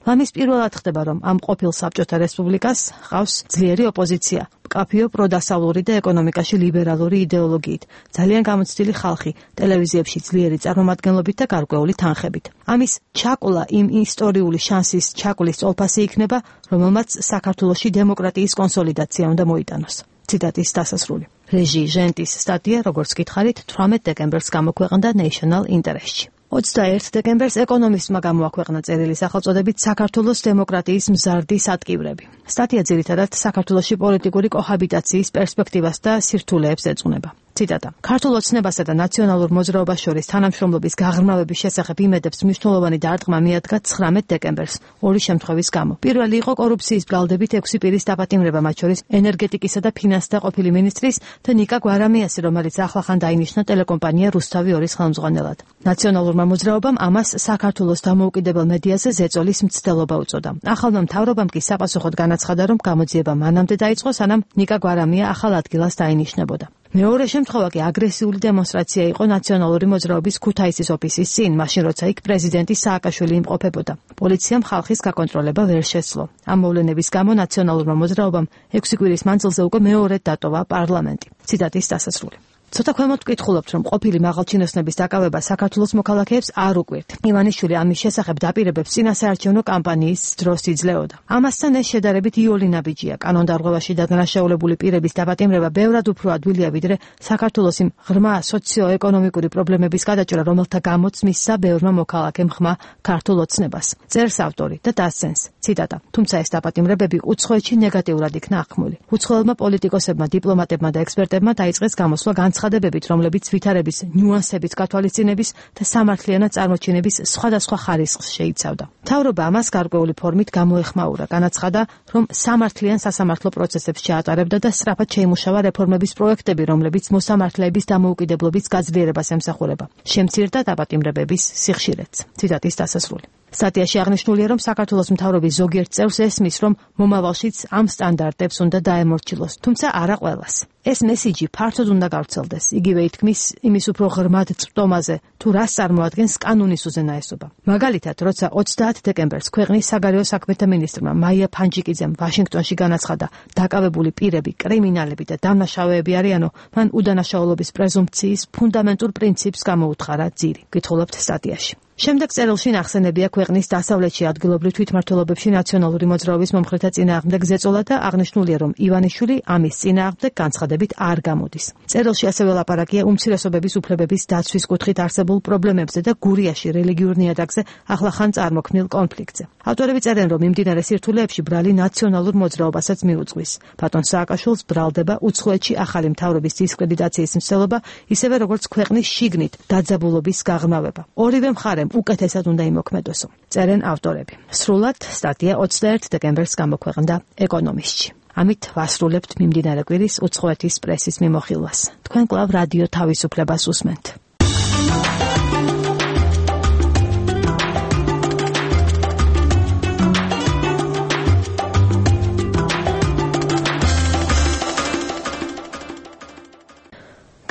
მამის პირველად ხდება, რომ ამ ყოფილ საბჭოთა რესპუბლიკას ჰყავს ძლიერი ოპოზიცია, მკაფიო პროდასავლური და ეკონომიკაში ლიბერალური იდეოლოგიით, ძალიან გამოცდილი ხალხი, ტელევიზიებში ძლიერი წარმომადგენლობით და გარკვეული თანხებით. ამის ჩაკულა იმ ისტორიული შანსის ჩაკულის წოლფასი იქნება, რომელმაც საქართველოში დემოკრატიის კონსოლიდაცია უნდა მოიტანოს. ციტატის დასასრული. რეჟი ჟენტის სტატია, როგორც გითხარით, თვრამეტ დეკემბერს გამოქვეყნდა National Interest-ში. ოცდაერთ დეკემბერს ეკონომისტმა გამოაქვეყნა წერილი სახელწოდებით საქართველოს დემოკრატიის მზარდი სატკივრები. სტატია ძირითადად საქართველოში პოლიტიკური კოჰაბიტაციის პერსპექტივას და სირთულეებს ეძღვნება. ციტატა. ქართულ ოცნებასა და ნაციონალურ მოძრაობას შორის თანამშრომლობის გაღრმავების შესახებ იმედებს მნიშვნელოვანი დარტყმა მიადგა ცხრამეტ დეკემბერს ორი შემთხვევის გამო. პირველი იყო კორუფციის ბრალდებით ექვსი პირის დაპატიმრება, მათ შორის ენერგეტიკისა და ფინანსთა ყოფილი მინისტრის და ნიკა გვარამიასი, რომელიც ახლახან დაინიშნა ტელეკომპანია რუსთავი ორის ხელმძღვანელად. ნაციონალურმა მოძრაობამ ამას საქართველოს დამოუკიდებელ მედიაზე ზეწოლის მცდელობა უწოდა. ახალმა მთავრობამ კი საპასუხოდ განაცხადა, რომ გამოძიება მანამდე დაიწყო, სანამ ნიკა გვარამია ახალ ადგილას დაინიშნებოდა. მეორე შემთხვევა კი აგრესიული დემონსტრაცია იყო ნაციონალური მოძრაობის ქუთაისის ოფისის წინ, მაშინ როცა იქ პრეზიდენტი სააკაშვილი იმყოფებოდა. პოლიციამ ხალხის გაკონტროლება ვერ შესძლო. ამ მოვლენების გამო ნაციონალურმა მოძრაობამ ექვსი კვირის მანძილზე უკვე მეორედ დატოვა პარლამენტი. ციტატის დასასრული. ცოტა ქვემოთ ვკითხულობთ, რომ ყოფილი მაღალჩინოსნების დაკავება საქართველოს მოქალაქეებს არ უკვირთ. ივანიშვილი ამის შესახებ დაპირებებს წინასაარჩევნო კამპანიის დროს იძლეოდა. ამასთან ეს შედარებით იოლი ნაბიჯია. კანონდარღვევაში დადანაშაულებული პირების დაპატიმრება ბევრად უფრო ადვილია, ვიდრე საქართველოს იმ ღრმა სოციო-ეკონომიკური პრობლემების გადაჭრა, რომელთა გამოც მისცა ბევრმა მოქალაქემ ხმა ქართულ ოცნებას. წერს ავტორი და დასცენს. ციტატა. თუმცა ეს დაპატიმრებები უცხოეთში ნეგატიურად იქნა აღქმული. უცხოელმა პოლიტიკოსებმა, დიპლომატებმა და ექსპერტებმა დაიწყეს გამოსვლა განცხადებებით, რომლებიც ვითარების ნიუანსებით გათვალისწინების და სამართლიანად წარმოჩინების სხვადასხვა ხარისხს შეიცავდა. მთავრობა ამას გარკვეული ფორმით გამოეხმაურა, განაცხადა, რომ სამართლიან სასამართლო პროცესებს ჩაატარებდა და სწრაფად შეიმუშავა რეფორმების პროექტები, რომლებიც მოსამართლეების დამოუკიდებლობის გაძლიერებას ემსახურება. შემცირდა დაპატიმრებების სიხშირეც. ციტატის დასასრული. სტატიაში აღნიშნულია, რომ საქართველოს მთავრობის ზოგიერთ წევრს ესმის, რომ მომავალშიც ამ სტანდარტებს უნდა დაემორჩილოს, თუმცა არა ყველას. ეს მესიჯი ფართოდ უნდა გავრცელდეს. იგივე ითქმის იმის უფრო ღრმად წვდომაზე, თუ რას წარმოადგენს კანონის უზენაესობა. მაგალითად, როცა ოცდაათ დეკემბერს ქვეყნის საგარეო საქმეთა მინისტრმა მაია ფანჯიკიძემ ვაშინგტონში განაცხადა, დაკავებული პირები, კრიმინალები და დამნაშავეები არიანო, მან უდანაშაულობის პრეზუმპციის ფუნდამენტურ პრინციპს გამოუთხარა ძირი. გითხულობთ სტატიაში. შემდეგ წერილში ნახსენებია ქვეყნის დასავლეთში ადგილობრივ თვითმმართველობებში ნაციონალური მოძრაობის მომხრეთა წინააღმდეგ ზეწოლა და აღნიშნულია, რომ ივანიშვილი ამის წინააღმდეგ განცხადებით არ გამოდის. წერილში ასევე ლაპარაკია უმცირესობების უფლებების დაცვის კუთხით არსებულ პრობლემებზე და გურიაში რელიგიურ ნიადაგზე ახლახან წარმოქმნილ კონფლიქტზე. ავტორები წერენ, რომ მიმდინარე სირთულეებში ბრალი ნაციონალურ მოძრაობასაც მიუძღვის. ბატონ სააკაშვილს ბრალდება უცხოეთში ახალი მთავრობის დისკრედიტაციის მცდელობა, ისევე როგორც ქვეყნის შიგნით დაძაბულობის გაღრმავება. ორივე მხარემ უკეთესად უნდა იმოქმედოსო. წერენ ავტორები. სრულად სტატია ოცდაერთ დეკემბერს გამოქვეყნდა ეკონომისტში. ამით ვასრულებთ მიმდინარე კვირის უცხოეთის პრესის მიმოხილვას. თქვენ კვლავ რადიო თავისუფლებას უსმენთ.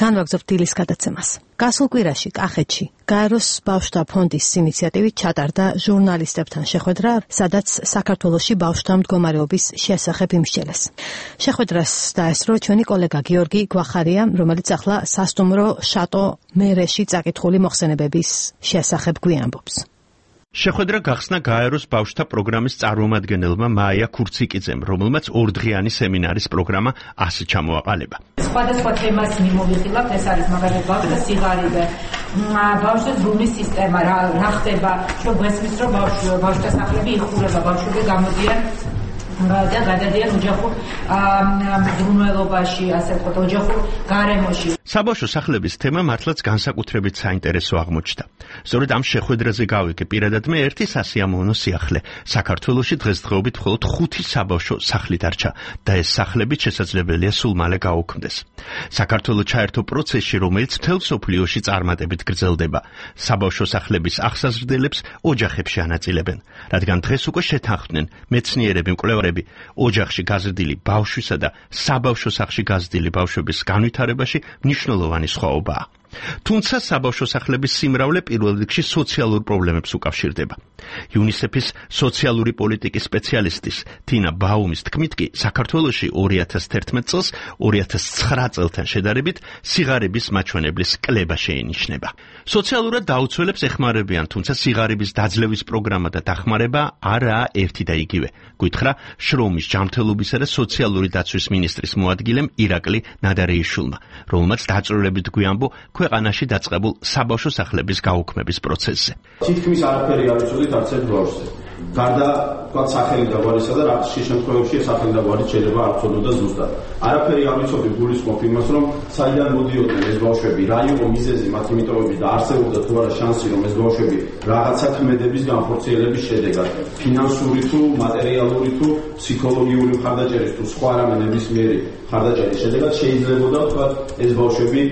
განვაგრძობთ დილის გადაცემას. გასულ კვირაში კახეთში გაეროს ბავშვთა ფონდის ინიციატივით ჩატარდა ჟურნალისტებთან შეხვედრა, სადაც საქართველოში ბავშვთა მდგომარეობის შესახებ იმსჯელეს. შეხვედრას დაესწრო ჩვენი კოლეგა გიორგი გვახარია, რომელიც ახლა სასტუმრო შატო მერეში წაკითხული მოხსენებების შესახებ გვიამბობს. შეხვედრა გახსნა გაეროს ბავშვთა პროგრამის წარმომადგენელმა მაია ქურციკიძემ, რომელმაც ორდღიანი სემინარის პროგრამა ასე ჩამოაყალიბა. სხვადასხვა თემას მიმოვიხილავთ, ეს არის მაგალითად ბავშვთა სიღარიბე, ბავშვთა ზრუნვის სისტემა, რა რა ხდება, რომ გვესმის, რომ ბავშვთა სახლები იხურება, ბავშვები გამოდიან და გადადიან ოჯახურ მზრუნველობაში, ასე ვთქვათ, ოჯახურ გარემოში. საბავშვო სახლების თემა მართლაც განსაკუთრებით საინტერესო აღმოჩნდა. სწორედ ამ შეხვედრაზე გავიგე პირადად მე ერთი სასიამოვნო სიახლე. საქართველოში დღესდღეობით მხოლოდ ხუთი საბავშვო სახლი დარჩა და ეს სახლებიც შესაძლებელია სულ მალე გაუქმდეს. საქართველო ჩაერთო პროცესში, რომელიც მთელ მსოფლიოში წარმატებით გრძელდება. საბავშვო სახლების აღსაზრდელებს ოჯახებში ანაწილებენ, რადგან დღეს უკვე შეთანხმდნენ მეცნიერები, მკვლევარები, ოჯახში გაზრდილი ბავშვისა და საბავშვო სახლში გაზრდილი ბავშვების განვითარებაში მნიშვნელოვანი სხვაობაა. თუმცა საბავშვო სახლების სიმრავლე პირველ რიგში სოციალურ პრობლემებს უკავშირდება. იუნისეფის სოციალური პოლიტიკის სპეციალისტის თინა ბაუმის თქმით კი საქართველოში ორი ათას თერთმეტ წელს ორი ათას ცხრა წელთან შედარებით სიღარიბის მაჩვენებლის კლება შეინიშნება. სოციალურად დაუცველებს ეხმარებიან, თუმცა სიღარიბის დაძლევის პროგრამა და დახმარება არაა ერთი და იგივე. გითხრა შრომის, ჯანმრთელობისა და სოციალური დაცვის მინისტრის მოადგილემ ირაკლი ნადარეიშვილმა, რომელმაც დაწვრილებით გვიანბო ქვეყანაში დაწყებულ საბავშვო სახლების გაუქმების პროცესზე. თითქმის არაფერი არ იცოდით არც ერთ ბავშვზე. გარდა თქვა სახელი და გვარისა და რაღაც შემთხვევებში სახელი და გვარი შეიძლება არ ცოდოდა ზუსტად. არაფერი არ ვიცოდი გულისხმობ იმას, რომ საიდან მოდიოდნენ ეს ბავშვები, რა იყო მიზეზი მათი მიტოვების და არსებობდა თუ არა შანსი, რომ ეს ბავშვები რაღაცა ქმედების განხორციელების შედეგად, ფინანსური თუ მატერიალური თუ ფსიქოლოგიური მხარდაჭერის თუ სხვა რამე ნებისმიერი მხარდაჭერის შედეგად შეიძლებოდა თქვა ეს ბავშვები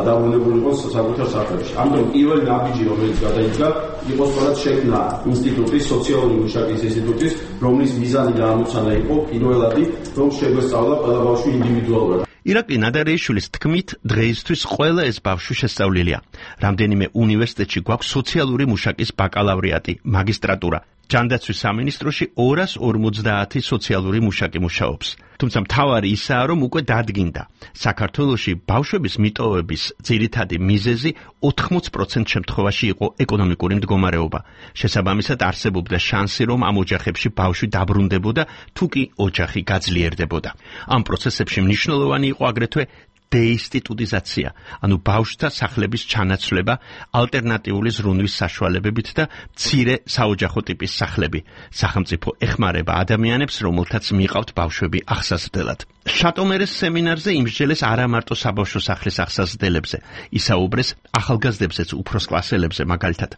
დაბრუნებული იყოს საკუთარ სახლებში. ამიტომ პირველი ნაბიჯი, რომელიც გადაიდგა, იყო სწორად შექმნა ინსტიტუტის სოციალური მუშაკის ინსტიტუტის, რომლის მიზანი და ამოცანა იყო პირველადი, რომ შეგვესწავლა ყველა ბავშვი ინდივიდუალურად. ირაკლი ნადარეიშვილის თქმით, დღეისთვის ყველა ეს ბავშვი შესწავლილია. რამდენიმე უნივერსიტეტში გვაქვს სოციალური მუშაკის ბაკალავრიატი, მაგისტრატურა. ჯანდაცვის სამინისტროში ორას ორმოცდაათი სოციალური მუშაკი მუშაობს. თუმცა მთავარი ისაა, რომ უკვე დადგინდა. საქართველოში ბავშვების მიტოვების ძირითადი მიზეზი ოთხმოც პროცენტ შემთხვევაში იყო ეკონომიკური მდგომარეობა. შესაბამისად არსებობდა შანსი, რომ ამ ოჯახებში ბავშვი დაბრუნდებოდა, თუ კი ოჯახი გაძლიერდებოდა. ამ პროცესებში მნიშვნელოვანი იყო აგრეთვე დეინსტიტუტიზაცია, ანუ ბავშვთა სახლების ჩანაცვლება ალტერნატიული ზრუნვის საშუალებებით და მცირე საოჯახო ტიპის სახლები. სახელმწიფო ეხმარება ადამიანებს, რომელთაც მიყავთ ბავშვები აღსაზრდელად. შატომერეს სემინარზე იმსჯელეს არა მარტო საბავშვო სახლის აღსაზრდელებზე, ისაუბრეს ახალგაზრდებზეც, უფროს კლასელებზე მაგალითად.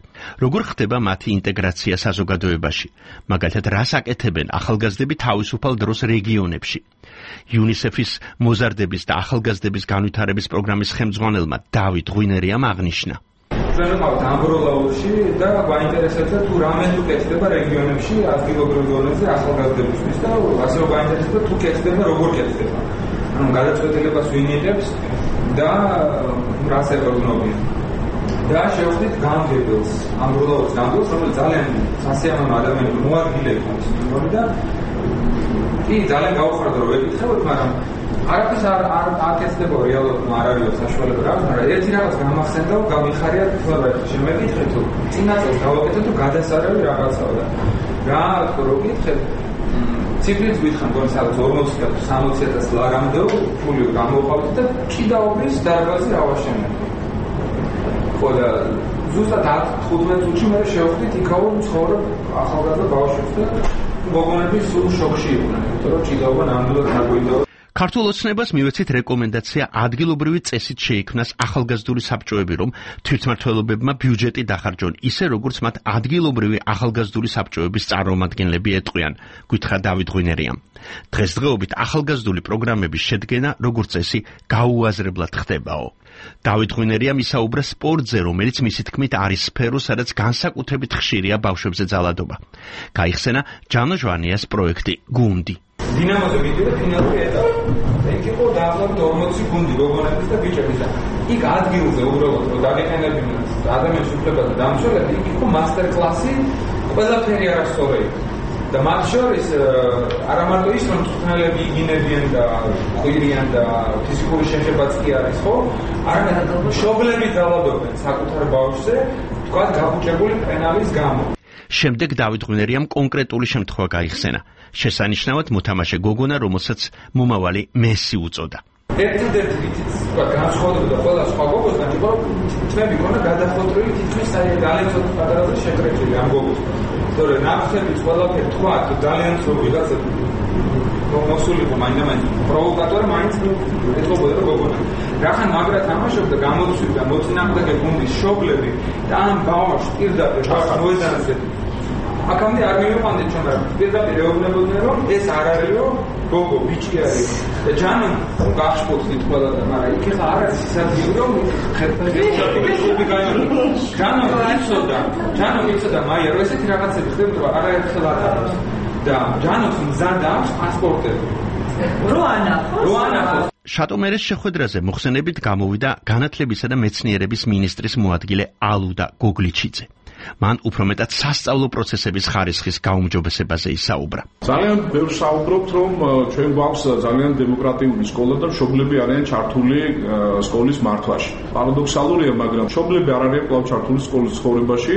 როგორ ხდება მათი ინტეგრაცია საზოგადოებაში? მაგალითად, რას აკეთებენ ახალგაზრდები თავისუფალ დროს რეგიონებში? იუნისეფის მოზარდების და ახალგაზრდების განვითარების პროგრამის ხელმძღვანელმა დავით ღვინერიამ აღნიშნა. ჩვენ ვიყავთ ამბროლაურში და გვაინტერესებდა თუ რამე თუ კეთდება რეგიონებში ადგილობრივ დონეზე ახალგაზრდებისთვის და ასევე გვაინტერესებდა თუ კეთდება როგორ კეთდება. ანუ გადაწყვეტილებას ვინ იღებს და რას ეკონომია. და შევხვდით გამგებელს, ამბროლაურის გამგებელს, რომელიც ძალიან სასიამოვნო ადამიანები მოადგილე იყო ის მიმორი და კი ძალიან გაუხარდა რომ ეკითხებოდ, მაგრამ არაფერს არ არ აკეთდება რეალურად, არ არის საშუალება რა, მაგრამ ერთი რაღაც გამახსენდა, გამიხარია თქმა, შემეკითხეთ თუ წინა წელს გავაკეთე თუ გადასარევი რაღაცაა და რა თქო რო გითხეთ ციფრით გითხან გონი სადაც ორმოცი და სამოცი ათას ლარამდე ფული გამოყავთ და ჭიდაობის დარბაზი რა ვაშენებთ. ხო და ზუსტად თხუთმეტ წუთში მე შევხვდით იქაურ ცხოვრობ ახალგაზრდა ბავშვებს და გოგონები სულ შოქში იყვნენ, იმიტომ რომ ჭიდაობა ნამდვილად დაგვიდაო. ქართულ ოცნებას მივეცით რეკომენდაცია ადგილობრივი წესით შეიქმნას ახალგაზრდული საბჭოები, რომ თვითმმართველობებმა ბიუჯეტი დახარჯონ, ისე როგორც მათ ადგილობრივი ახალგაზრდული საბჭოების წარმომადგენლები ეტყვიან, გითხრა დავით ღვინერიამ. დღესდღეობით ახალგაზრდული პროგრამების შედგენა, როგორც წესი, გაუაზრებლად ხდებაო. დავით ღვინერიამ ისაუბრა სპორტზე, რომელიც მისი თქმით არის სფერო, სადაც განსაკუთრებით ხშირია ბავშვებზე ძალადობა. გაიხსენა ჯანო ჟვანიას პროექტი გუნდი. დინამოზე მიდიოდა ფინალური ეტაპი. იქ იყო დაახლოებით ორმოცი გუნდი გოგონების და ბიჭების და იქ ადგილზე უბრალოდ რომ დაგეყენებინათ ადამიანის უფლებათა დამცველები, იქ იყო მასტერ კლასი, ყველაფერი არასწორი. და მათ შორის არა მარტო ის რომ თვითნალები იგინებიან და ხვირიან და ფიზიკური შეხებაც კი არის, ხო? არამედ მშობლები ძალადობენ საკუთარ ბავშვზე, თქვა გაბუჭებული პენალის გამო. შემდეგ დავით ღვინერიამ კონკრეტული შემთხვევა გაიხსენა. შესანიშნავად მოთამაშე გოგონა, რომელსაც მომავალი მესი უწოდა. ერთადერთი თითქოს განსხვავდება ყველა სხვა გოგოსთან, იყო რომ თმები ქონა გადახოტრილი თითქმის ძალიან ცოტა პატარაზე შეკრეჭილი ამ გოგოს. თორე ნახსების ყველაფერი თქვა ძალიან ცოტა ვიღაცა მოსულიყო მაინდა-მაინც პროვოკატორი მაინც ეთქობოდა რომ გოგონა. რახან მაგრა თამაშობდა, გამოცვიდა მოწინააღმდეგე გუნდის მშობლები და ამ ბავშვს პირდაპირ მოედანზე აქამდე არ მივიყვანდით ჩვენ რა. პირდაპირ ეუბნებოდნენ რომ ეს არ არისო გოგო ბიჭი არის და ჯანო გახსოვდით ყველა და მაგრამ იქ ხა არ არის ის ადგილი რომ ხერხები გაიორო. ჯანო იცოდა, ჯანო იცოდა მაია რომ ესეთი რაღაცები ხდებოდა არაერთხელ ატარებს და ჯანო მზად აქვს პასპორტები. რო ანახოს. რო ანახოს. შატომერის შეხვედრაზე მოხსენებით გამოვიდა განათლებისა და მეცნიერების მინისტრის მოადგილე ალუდა გოგლიჩიძე. მან უფრო მეტად სასწავლო პროცესების ხარისხის გაუმჯობესებაზე ისაუბრა. ძალიან ბევრ საუბრობთ, რომ ჩვენ გვაქვს ძალიან დემოკრატიული სკოლა და მშობლები არიან ჩართული სკოლის მართვაში. პარადოქსალურია, მაგრამ მშობლები არ არიან კვლავ ჩართული სკოლის ცხოვრებაში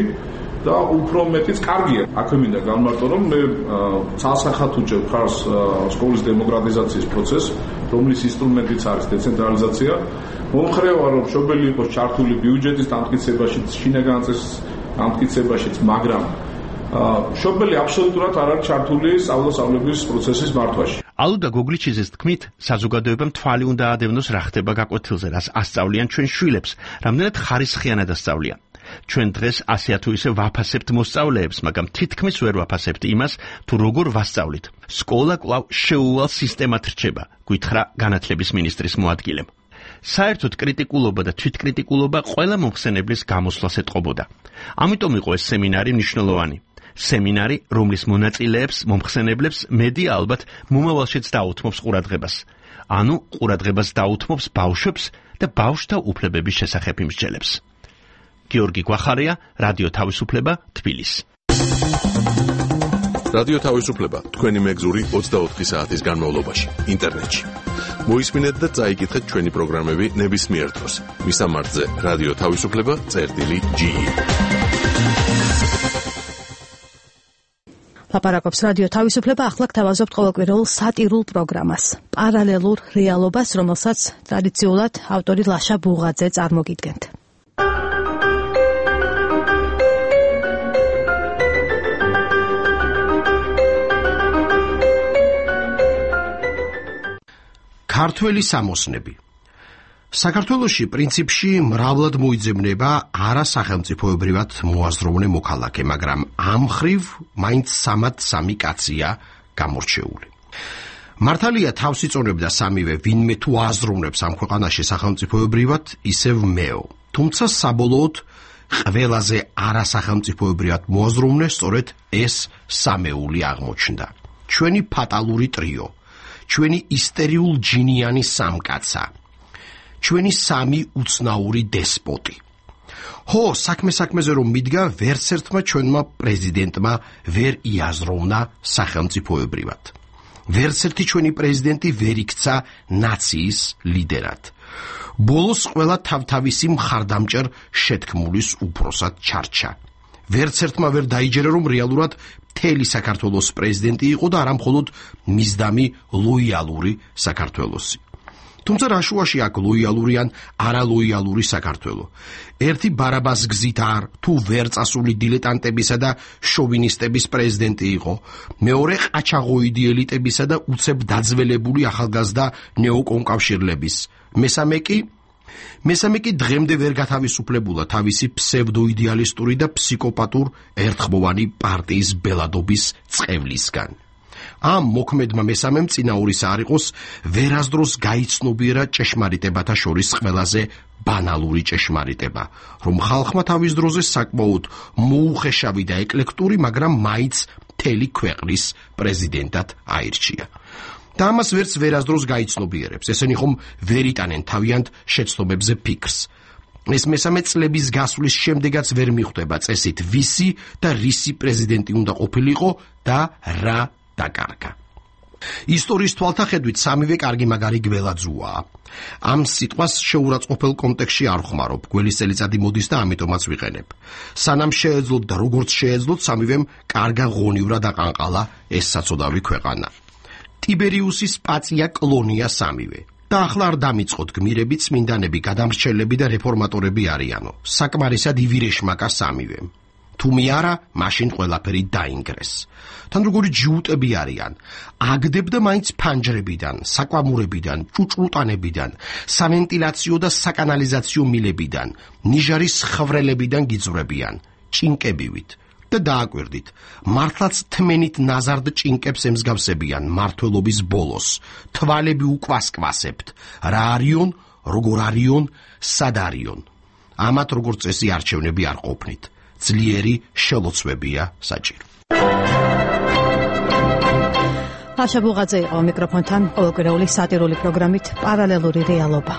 და უფრო მეტიც კარგია. აქვე მინდა განმარტო, რომ მე ცალსახად უჭერ ხარს სკოლის დემოკრატიზაციის პროცესს, რომლის ინსტრუმენტიც არის დეცენტრალიზაცია. მომხრევა, რომ მშობელი იყოს ჩართული ბიუჯეტის დამტკიცებაში, შინაგან წესის დამტკიცებაშიც, მაგრამ მშობელი აბსოლუტურად არ არის ჩართული სწავლა-სწავლების პროცესის მართვაში. ალუდა გოგლიჩიძის თქმით, საზოგადოებამ თვალი უნდა ადევნოს რა ხდება გაკვეთილზე, რას ასწავლიან ჩვენ შვილებს, რამდენად ხარისხიანად ასწავლიან. ჩვენ დღეს ასე თუ ისე ვაფასებთ მოსწავლეებს, მაგრამ თითქმის ვერ ვაფასებთ იმას, თუ როგორ ვასწავლით. სკოლა კვლავ შეუვალ სისტემად რჩება, გითხრა განათლების მინისტრის მოადგილემ. საერთოდ კრიტიკულობა და თვითკრიტიკულობა ყველა მომხსენებლის გამოსვლას ეტყობოდა. ამიტომ იყო ეს სემინარი მნიშვნელოვანი. სემინარი, რომლის მონაწილეებს, მომხსენებლებს მედია ალბათ მომავალშიც დაუთმობს ყურადღებას. ანუ ყურადღებას დაუთმობს ბავშვებს და ბავშვთა უფლებების შესახებ იმსჯელებს. გიორგი გვახარია, რადიო თავისუფლება, თბილისი. რადიო თავისუფლება თქვენი მეგზური ოცდაოთხი საათის განმავლობაში ინტერნეტში. მოისმინეთ და წაიკითხეთ ჩვენი პროგრამები ნებისმიერ დროს. მისამართზე რადიო თავისუფლება წერტილი ჯი. ლაპარაკობს რადიო თავისუფლება, ახლა გთავაზობთ ყოველკვირეულ სატირულ პროგრამას. პარალელურ რეალობას, რომელსაც ტრადიციულად ავტორი ლაშა ბუღაძე წარმოგიდგენთ. ქართველი სამოსნები. საქართველოში პრინციპში მრავლად მოიძებნება არასახელმწიფოებრივად მოაზროვნე მოქალაქე, მაგრამ ამ ხრივ მაინც სამად სამი კაცია გამორჩეული. მართალია თავს იწონებდა სამივე, ვინმე თუ აზროვნებს ამ ქვეყანაში სახელმწიფოებრივად, ისევ მეო. თუმცა საბოლოოდ ყველაზე არასახელმწიფოებრივად მოაზროვნე სწორედ ეს სამეული აღმოჩნდა. ჩვენი ფატალური ტრიო, ჩვენი ისტორიულ ჯინიანი სამკაცა, ჩვენი სამი უცნაური დესპოტი. ხო, საქმე საქმეზე რომ მიდგა, ვერც ერთმა ჩვენმა პრეზიდენტმა ვერ იაზროვნა სახელმწიფოებრივად. ვერც ერთი ჩვენი პრეზიდენტი ვერ იქცა ნაციის ლიდერად. ბოლოს ყველა თავთავისი მხარდამჭერ შეთქმულის უფროსად ჩარჩა. ვერც ერთმა ვერ დაიჯერა, რომ რეალურად მთელი საქართველოს პრეზიდენტი იყო და არა მხოლოდ მისდამი ლოიალური საქართველოსი. თუმცა რაშუაში აქ ლოიალური ან არალოიალური საქართველო. ერთი ბარაბას გზით არ თუ ვერ წასული დილეტანტებისა და შოვინისტების პრეზიდენტი იყო, მეორე ყაჩაღოიდი ელიტებისა და უცებ დაძველებული ახალგაზრდა ნეოკონკავშირლების, მესამე კი მესამე კი დღემდე ვერ გათავისუფლებულა თავისი ფსევდოიდეალისტური და ფსიქოპატურ ერთხმოვანი პარტიის ბელადობის წყევლისგან. ამ მოქმედმა მესამემ წინაურის არ იყოს ვერასდროს გაიცნობიერა ჭეშმარიტებათა შორის ყველაზე ბანალური ჭეშმარიტება, რომ ხალხმა თავის დროზე საკმაოდ მოუხეშავი და ეკლექტური, მაგრამ მაინც მთელი ქვეყნის პრეზიდენტად აირჩია. და ამას ვერც ვერასდროს გაიცნობიერებს, ესენი ხომ ვერ იტანენ თავიანთ შეცდომებზე ფიქრს. ეს მესამე წლების გასვლის შემდეგაც ვერ მიხვდება წესით ვისი და რისი პრეზიდენტი უნდა ყოფილიყო და რა დაკარგა. ისტორიის თვალთახედვით სამივე კარგი მაგარი გველაძუაა. ამ სიტყვას შეურაცხყოფელ კონტექსტში არ ხმარობ, გველის წელიწადი მოდის და ამიტომაც ვიყენებ. სანამ შეეძლოთ და როგორც შეეძლოთ, სამივემ კარგა ღონივრად აყანყალა ეს საწოდავი ქვეყანა. ტიბერიუსის პაწია კლონია სამივე. და ახლა არ დამიწყოთ გმირები, წმინდანები, გადამრჩელები და რეფორმატორები არიანო. საკმარისად ივირეშმაკა სამივემ. თუმი არა, მაშინ ყველაფერი დაინგრეს. თან როგორი ჯიუტები არიან, აგდებ და მაინც ფანჯრებიდან, საკვამურებიდან, ჭუჭლუტანებიდან, სავენტილაციო და საკანალიზაციო მილებიდან, ნიჟარის ხვრელებიდან გიძვრებიან, ჭინკებივით. და დააკვირდით, მართლაც თმენით ნაზარდ ჭინკებს ემსგავსებიან მართლობის ბოლოს, თვალები უკვასკვასებთ, რა არიონ, როგორ არიონ, სად არიონ. ამათ როგორც წესი არჩევნები არ ყოფნით. ძლიერი შელოცვებია საჭირო. ხაშა ბუღაძე იყო მიკროფონთან ყოველკვირეული სატირული პროგრამით პარალელური რეალობა.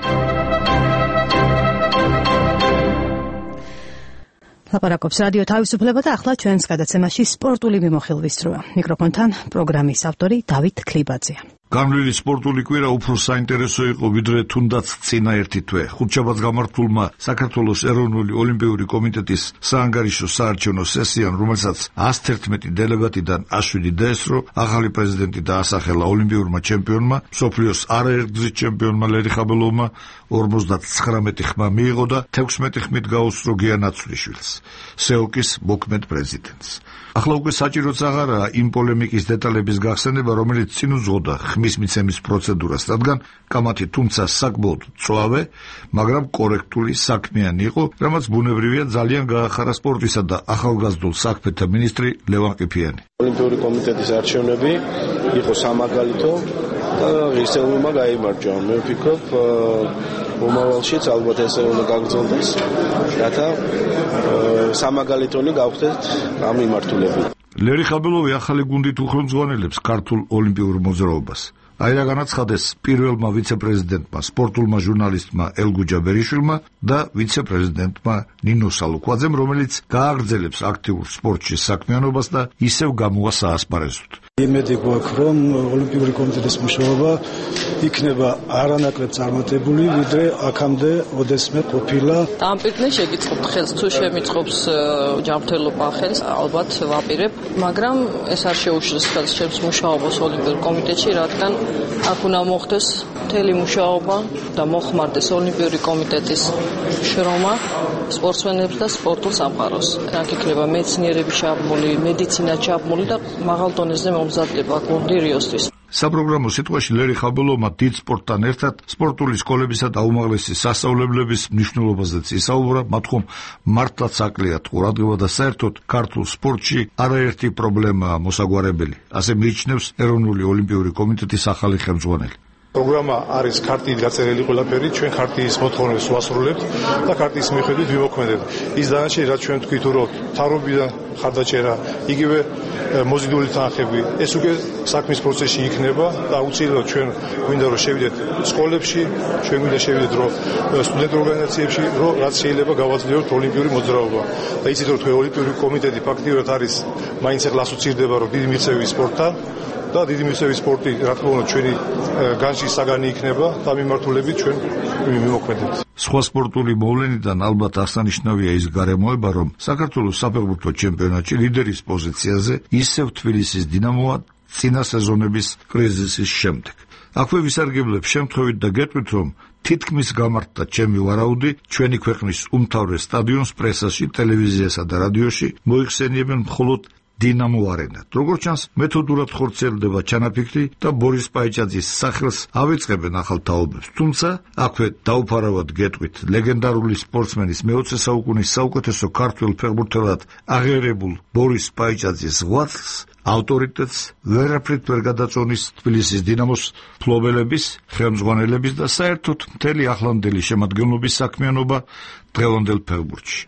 ლაპარაკობს რადიო თავისუფლება და ახლა ჩვენს გადაცემაში სპორტული მიმოხილვის დროა. მიკროფონთან პროგრამის ავტორი დავით ქლიბაძეა. განვლილი სპორტული კვირა უფრო საინტერესო იყო ვიდრე თუნდაც წინა ერთი თვე. ხუთშაბათს გამართულმა საქართველოს ეროვნული ოლიმპიური კომიტეტის საანგარიშო საარჩევნო სესიამ, რომელსაც ას თერთმეტი დელეგატიდან შვიდი დაესწრო, ახალი პრეზიდენტი დაასახელა ოლიმპიურმა ჩემპიონმა, მსოფლიოს არაერთგზის ჩემპიონმა ლერი ხაბელოვმა ორმოცდათხრამეტი ხმა მიიღო და თექვსმეტი ხმით გაუსწრო გია ნაცვლიშვილს, სეოკის მოქმედ პრეზიდენტს. ახლა უკვე საჭიროც აღარაა იმ პოლემიკის დეტალების გახსენება, რომელიც წინ უძღოდა ხმის მიცემის პროცედურას, რადგან კამათი თუმცა საკმაოდ მწვავე, მაგრამ კორექტული საქმიანი იყო, რამაც ბუნებრივია ძალიან გაახარა სპორტისა და ახალგაზრდულ საქმეთა მინისტრი ლევან ყიფიანი. ოლიმპიური კომიტეტის არჩევნები იყო სამაგალითო და ღირსეულმა გაიმარჯვა. მე ვფიქრობ, მომავალშიც ალბათ ესე უნდა გაგრძელდეს, რათა სამაგალითონი გავხდეთ ამ მიმართულებით. ლერი ხაბელოვი ახალი გუნდით უხელმძღვანელებს ქართულ ოლიმპიურ მოძრაობას. აი რა განაცხადეს პირველმა ვიცე-პრეზიდენტმა, სპორტულმა ჟურნალისტმა ელგუ ჯაბერიშვილმა და ვიცე-პრეზიდენტმა ნინო სალუკვაძემ, რომელიც გააგრძელებს აქტიურ სპორტში საქმიანობას და ისევ გამოვა საასპარეზოდ. იმედი გვაქვს, რომ ოლიმპიური კომიტეტის მუშაობა იქნება არანაკლებ წარმატებული, ვიდრე აქამდე ოდესმე ყოფილა. დამპირდნე შეგიწყობთ ხელს, თუ შემიწყობს ჯანმრთელობა ხელს, ალბათ ვაპირებ, მაგრამ ეს არ შეუშლის ხელს ჩემს მუშაობას ოლიმპიურ კომიტეტში, რადგან აქ უნდა მოხდეს მთელი მუშაობა და მოხმარდეს ოლიმპიური კომიტეტის შრომა სპორტსმენებს და სპორტულ სამყაროს. აქ იქნება მეცნიერების ჩაბმული, მედიცინა ჩაბმული და მაღალ დონეზე მომზადდება გუნდი რიოსთვის. საპროგრამო სიტყვაში ლერი ხაბელოვმა დიდ სპორტთან ერთად სპორტული სკოლებისა და უმაღლესი სასწავლებლების მნიშვნელობაზეც ისაუბრა, მათ ხომ მართლაც აკლიათ ყურადღება და საერთოდ ქართულ სპორტში არაერთი პრობლემაა მოსაგვარებელი, ასე მიიჩნევს ეროვნული ოლიმპიური კომიტეტის ახალი ხელმძღვანელი. პროგრამა არის ქარტიით გაწერილი ყველაფერი, ჩვენ ქარტიის მოთხოვნებს ვასრულებთ და ქარტიის მიხედვით ვიმოქმედებთ. ის დანარჩენი, რაც ჩვენ თქვით, რომ თავრობიდან ხარდაჭერა, იგივე მოზიდული თანხები, ეს უკვე საქმის პროცესში იქნება და აუცილებლად ჩვენ გვინდა რომ შევიდეთ სკოლებში, ჩვენ გვინდა შევიდეთ რომ სტუდენტურ ორგანიზაციებში, რომ რაც შეიძლება გავაძლიეროთ ოლიმპიური მოძრაობა. და იცით რომ თქვენ ოლიმპიური კომიტეტი ფაქტიურად არის მაინც ახლა ასოცირდება რომ დიდი მიღწევი სპორტთან და დიდი მიღწევი სპორტი, რა თქმა უნდა, ჩვენი განში საგანი იქნება და მიმართულებით ჩვენ მიმოქმედებთ. სხვა სპორტული მოვლენიდან ალბათ აღსანიშნავია ის გარემოება, რომ საქართველოს საფეხბურთო ჩემპიონატში ლიდერის პოზიციაზე ისევ თბილისის დინამოა წინა სეზონების კრიზისის შემდეგ. აქვე ვისარგებლებ შემთხვევით და გეტყვით, რომ თითქმის გამართდა ჩემი ვარაუდი, ჩვენი ქვეყნის უმთავრეს სტადიონს პრესაში, ტელევიზიასა და რადიოში მოიხსენიებენ მხოლოდ დინამო არენად. როგორც ჩანს, მეთოდურად ხორციელდება ჩანაფიქრი და ბორის პაიჭაძის სახელს ავიწყებენ ახალ თაობებს. თუმცა, აქვე დაუფარავად გეტყვით, ლეგენდარული სპორტსმენის მეოცე საუკუნის საუკეთესო ქართველ ფეხბურთელად აღიარებულ ბორის პაიჭაძის ღვაწლს, ავტორიტეტს ვერაფრით ვერ გადაწონის თბილისის დინამოს ფლობელების, ხელმძღვანელების და საერთოდ მთელი ახლანდელი შემადგენლობის საქმიანობა დღევანდელ ფეხბურთში.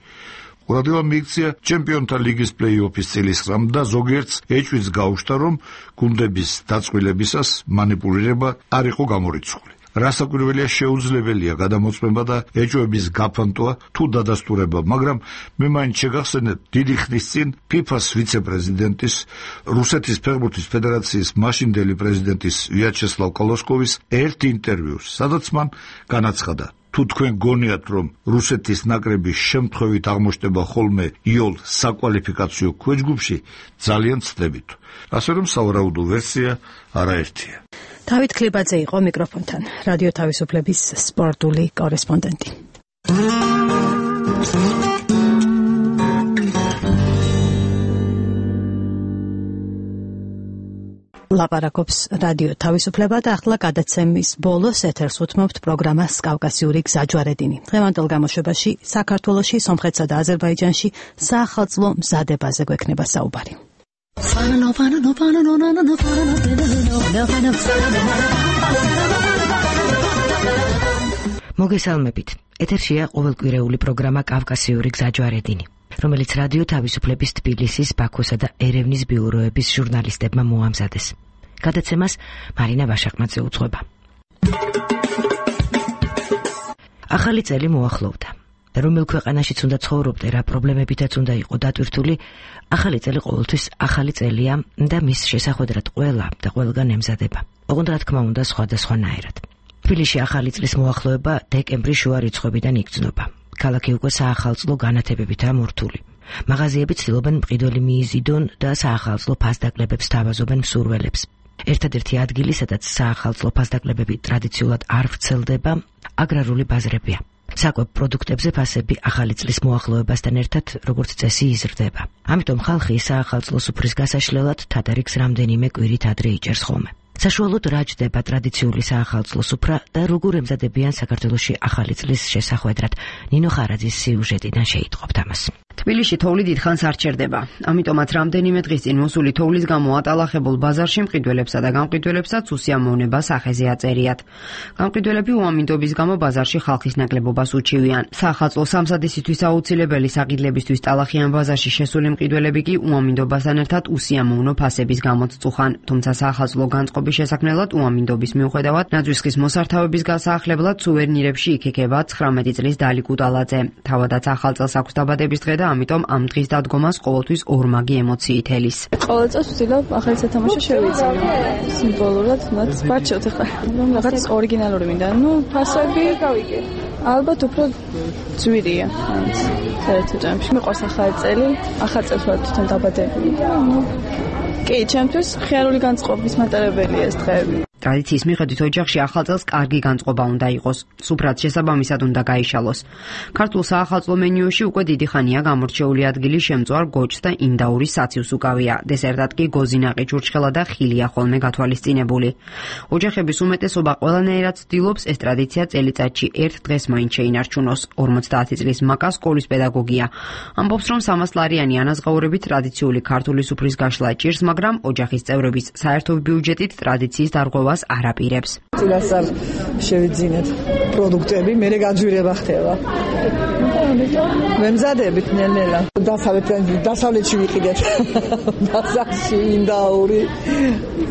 ყურადღება მიიქცია ჩემპიონთა ლიგის პლეი-ოფის წილისხმამ და ზოგიერთს ეჭვიც გაუშვდა, რომ გუნდების დაწყვილებისას მანიპულირება არ იყო გამორიცხული. რასაკვირველია, შეუძლებელია გადამოწმება და ეჭვების გაფანტვა თუ დადასტურება, მაგრამ მე მაინც შეგახსენებ დიდი ხნის წინ ფიფას ვიცე-პრეზიდენტის, რუსეთის ფეხბურთის ფედერაციის მაშინდელი პრეზიდენტის ვიაჩესლავ კოლოსკოვის ერთ ინტერვიუს, სადაც მან განაცხადა, თუ თქვენ გონიათ, რომ რუსეთის ნაკრების შემთხვევით აღმოჩნდება ხოლმე იოლ საკვალიფიკაციო ქვეჯგუფში, ძალიან ცდებით. ასე რომ სავარაუდო ვერსია არაერთია. დავით ქლიბაძე იყო მიკროფონთან, რადიო თავისუფლების სპორტული კორესპონდენტი. ლაპარაკობს რადიო თავისუფლება და ახლა გადაცემის ბოლოს ეთერს უთმობთ პროგრამას კავკასიური გზაჯვარედინი. დღევანდელ გამოშვებაში საქართველოში, სომხეთსა და აზერბაიჯანში საახალწლო მზადებაზე გვექნება საუბარი. მოგესალმებით. ეთერშია ყოველკვირეული პროგრამა კავკასიური გზაჯვარედინი, რომელიც რადიო თავისუფლების თბილისის, ბაქოსა და ერევნის ბიუროების ჟურნალისტებმა მოამზადეს. გადაცემას მარინა ვაშაკმაძე უძღვება. ახალი წელი მოახლოვდა. რომელ ქვეყანაშიც უნდა ცხოვრობდე, რა პრობლემებითაც უნდა იყო დატვირთული, ახალი წელი ყოველთვის ახალი წელია და მის შესახვედრად ყველა და ყველგან ემზადება. ოღონდ რა თქმა უნდა სხვადასხვანაირად. თბილისში ახალი წლის მოახლოება დეკემბრის შუა რიცხვებიდან იგრძნობა. ქალაქი უკვე საახალწლო განათებებითაა მორთული. მაღაზიები ცდილობენ მყიდველი მიიზიდონ და საახალწლო ფასდაკლებებს თავაზობენ მსურველებს. ერთადერთი ადგილი, სადაც საახალწლო ფასდაკლებები ტრადიციულად არ ვრცელდება, აგრარული ბაზრებია. საკვებ პროდუქტებზე ფასები ახალი წლის მოახლოებასთან ერთად როგორც წესი იზრდება. ამიტომ ხალხი საახალწლო სუფრის გასაშლელად თადარიგს რამდენიმე კვირით ადრე იჭერს ხოლმე. საშუალოდ რა ჯდება ტრადიციული საახალწლო სუფრა და როგორ ემზადებიან საქართველოში ახალი წლის შესახვედრად. ნინო ხარაძის სიუჟეტიდან შეიტყობთ ამას. თბილისში თოვლი დიდხანს არ ჩერდება. ამიტომაც რამდენიმე დღის წინ მოსული თოვლის გამო ატალახებულ ბაზარში მყიდველებსა და გამყიდველებსაც უსიამოვნება სახეზე აწერიათ. გამყიდველები უამინდობის გამო ბაზარში ხალხის ნაკლებობას უჩივიან. საახალწლო სამზადისისთვის აუცილებელი საყიდლებისთვის ტალახიან ბაზარში შესული მყიდველები კი უამინდობასთან ერთად უსიამოვნო ფასების გამოც წუხან. თუმცა საახალწლო განწყობის შესაქმნელად უამინდობის მიუხედავად ნაძვისხის მოსართავების გასაახლებლად სუვერნირებში იქეკება ცხრამეტი წლის დალი კუტალაძე. თავადაც ახალ წელს აქვს დაბადების დღე და ამიტომ ამ დღის დადგომას ყოველთვის ორმაგი ემოციით ელის. ყოველ წელს ვცდილობ ახალი სათამაშო შევიძინო. სიმბოლურად მათ ვარჩევთ ახლა. რომ რაღაც ორიგინალური მინდა. ნუ ფასები გავიგე. ალბათ უფრო ძვირია. მაინც საერთოდ ამში მიყვარს ახალი წელი. ახალ წელს ვარ თვითონ დაბადებული და ნუ კი, ჩემთვის ხიარული განწყობის მატარებელია ეს დღეები. ტრადიციის მიხედვით ოჯახში ახალ წელს კარგი განწყობა უნდა იყოს. სუფრად შესაბამისად უნდა გაიშალოს. ქართულ საახალწლო მენიუში უკვე დიდი ხანია გამორჩეული ადგილი შემწვარ გოჭს და ინდაურის საციუს უკავია. დესერტად კი გოზინაყი, ჭურჭხელა და ხილია ხოლმე გათვალისწინებული. ოჯახების უმეტესობა ყველანაირად ცდილობს ეს ტრადიცია წელიწადში ერთ დღეს მაინც შეინარჩუნოს. ორმოცდაათი წლის მაკა სკოლის პედაგოგია. ამბობს, რომ სამასლარიანი ანაზღაურებით ტრადიციული ქართული სუფრის გაშლა ჭირს, მაგრამ ოჯახის წევრების საერთო ბიუჯეტით ტრადიციის დარღვევა არ აპირებს. წინასწარ შევიძინეთ პროდუქტები, მერე გაძვირება ხდება. ვემზადებით ნელ-ნელა. დასავლეთიდან დასავლეთში ვიყიდეთ. ბაზარში ინდაური.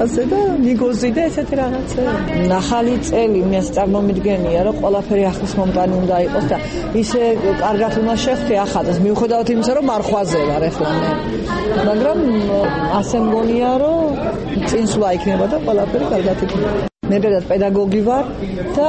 ასე და ნიგოზი და ესეთი რაღაცა. ახალი წელი მის წარმომიდგენია, რომ ყველაფერი ახლის მომტანი უნდა იყოს და ისე კარგად უნდა შევხვდე ახალს. მიუხედავად იმისა, რომ მარხვაზე ვარ ახლა მე. მაგრამ ასე მგონია, რომ წინსვლა იქნება და ყველაფერი კარგად იქნება. მე ბედად პედაგოგი ვარ და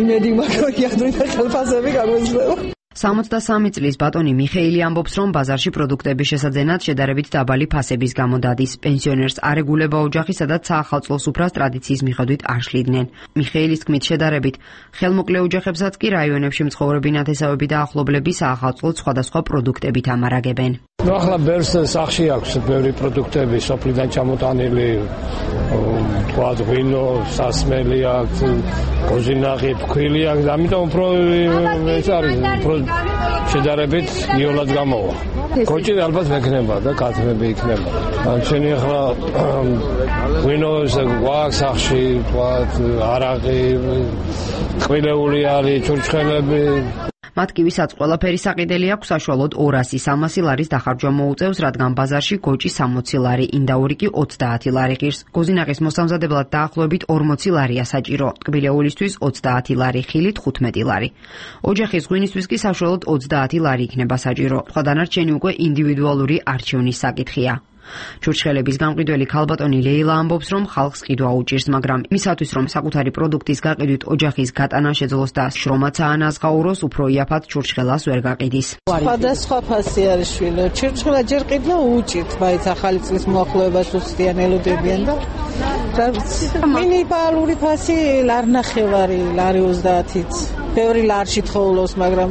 იმედი მაქვს, რომ იადრინდა ხელფასები გაგვეძლება. სამოცდასამი წლის ბატონი მიხეილი ამბობს, რომ ბაზარში პროდუქტების შესაძენად შედარებით დაბალი ფასების გამო დადის. პენსიონერს არ ეგულება ოჯახი, სადაც საახალწლო სუფრას ტრადიციის მიხედვით არ შლიდნენ. მიხეილის თქმით შედარებით ხელმოკლე ოჯახებსაც კი რაიონებში მცხოვრები ნათესავები და ახლობლები საახალწლოდ სხვადასხვა პროდუქტებით ამარაგებენ. ნუ ახლა ბევრს სახში აქვს ბევრი პროდუქტები სოფლიდან ჩამოტანილი, თქვა ღვინო, სასმელი აქვს, გოზინაღი, ფქვილი აქვს, ამიტომ უფრო ეს არის შედარებით იოლად გამოვა. კოჭი ალბათ მექნება და კაცმები იქნება. ჩვენი ახლა ღვინოს გვაქვს სახში, თქვა არაყი, ყვილეული არის, ჩურჩხელები. მათ კი ვისაც ყველაფერი საყიდელი აქვს, საშუალოდ ორასი სამასი ლარის დახარჯვა მოუწევს, რადგან ბაზარში გოჭი სამოცი ლარი, ინდაური კი ოცდაათი ლარი ღირს. გოზინაყის მოსამზადებლად დაახლოებით ორმოცი ლარია საჭირო, ტკბილეულისთვის ოცდაათი ლარი, ხილით ხუთმეტი ლარი. ოჯახის ღვინისთვის კი საშუალოდ ოცდაათი ლარი იქნება საჭირო. სხვა დანარჩენი უკვე ინდივიდუალური არჩევნის საკითხია. ჩურჩხელების გამყიდველი ქალბატონი ლეილა ამბობს, რომ ხალხს ყიდვა უჭირს, მაგრამ მისათვის, რომ საკუთარი პროდუქტის გაყიდვით ოჯახის გატანა შეძლოს და შრომაც აანაზღაუროს, უფრო იაფად ჩურჩხელას ვერ გაყიდის. სხვადასხვა ფასი არის შვილო. ჩურჩხელა ჯერ ყიდვა უჭირთ, მაინც ახალი წლის მოახლოებას უსწრიან ელოდებიან და მინიმალური ფასი ლარნახევარი, ლარი ოცდაათიც. ბევრი ლარში თხოვლოს, მაგრამ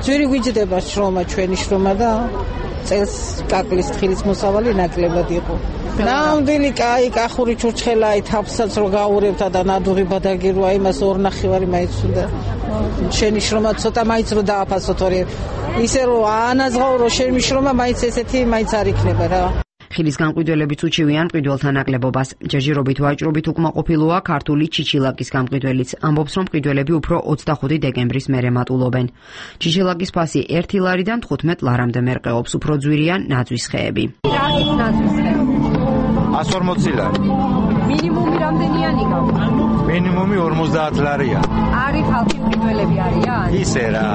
ძვირი გვიჯდება შრომა, ჩვენი შრომა და წელს კაკლის თხილის მოსავალი ნაკლებად იყო. ნამდვილი კაი კახური ჩურჩხელაი თაფსაც რო გაურებთა და ნადუღი ბადაგირვა იმას ორ ნახევარი მაინც უნდა. შენი შრომა ცოტა მაინც რო დააფასო, თორე ისე რო აანაზღაურო შენი შრომა მაინც ესეთი მაინც არ იქნება რა. ხილის გამყიდველებიც უჩივიან მყიდველთა ნაკლებობას. ჯერჯერობით ვაჭრობით უკმაყოფილოა ქართული ჩიჩილაკის გამყიდველიც. ამბობს, რომ მყიდველები უფრო ოცდახუთი დეკემბრის მერე მატულობენ. ჩიჩილაკის ფასი ერთი ლარიდან თხუთმეტ ლარამდე მერყეობს, უფრო ძვირია ნაძვის ხეები. εκατόν ორმოცი ლარი. მინიმუმი რამდენიანი გაქვს? მინიმუმი ორმოცდაათ ლარია. არის ხალხი მყიდველები არიან? ისე რა.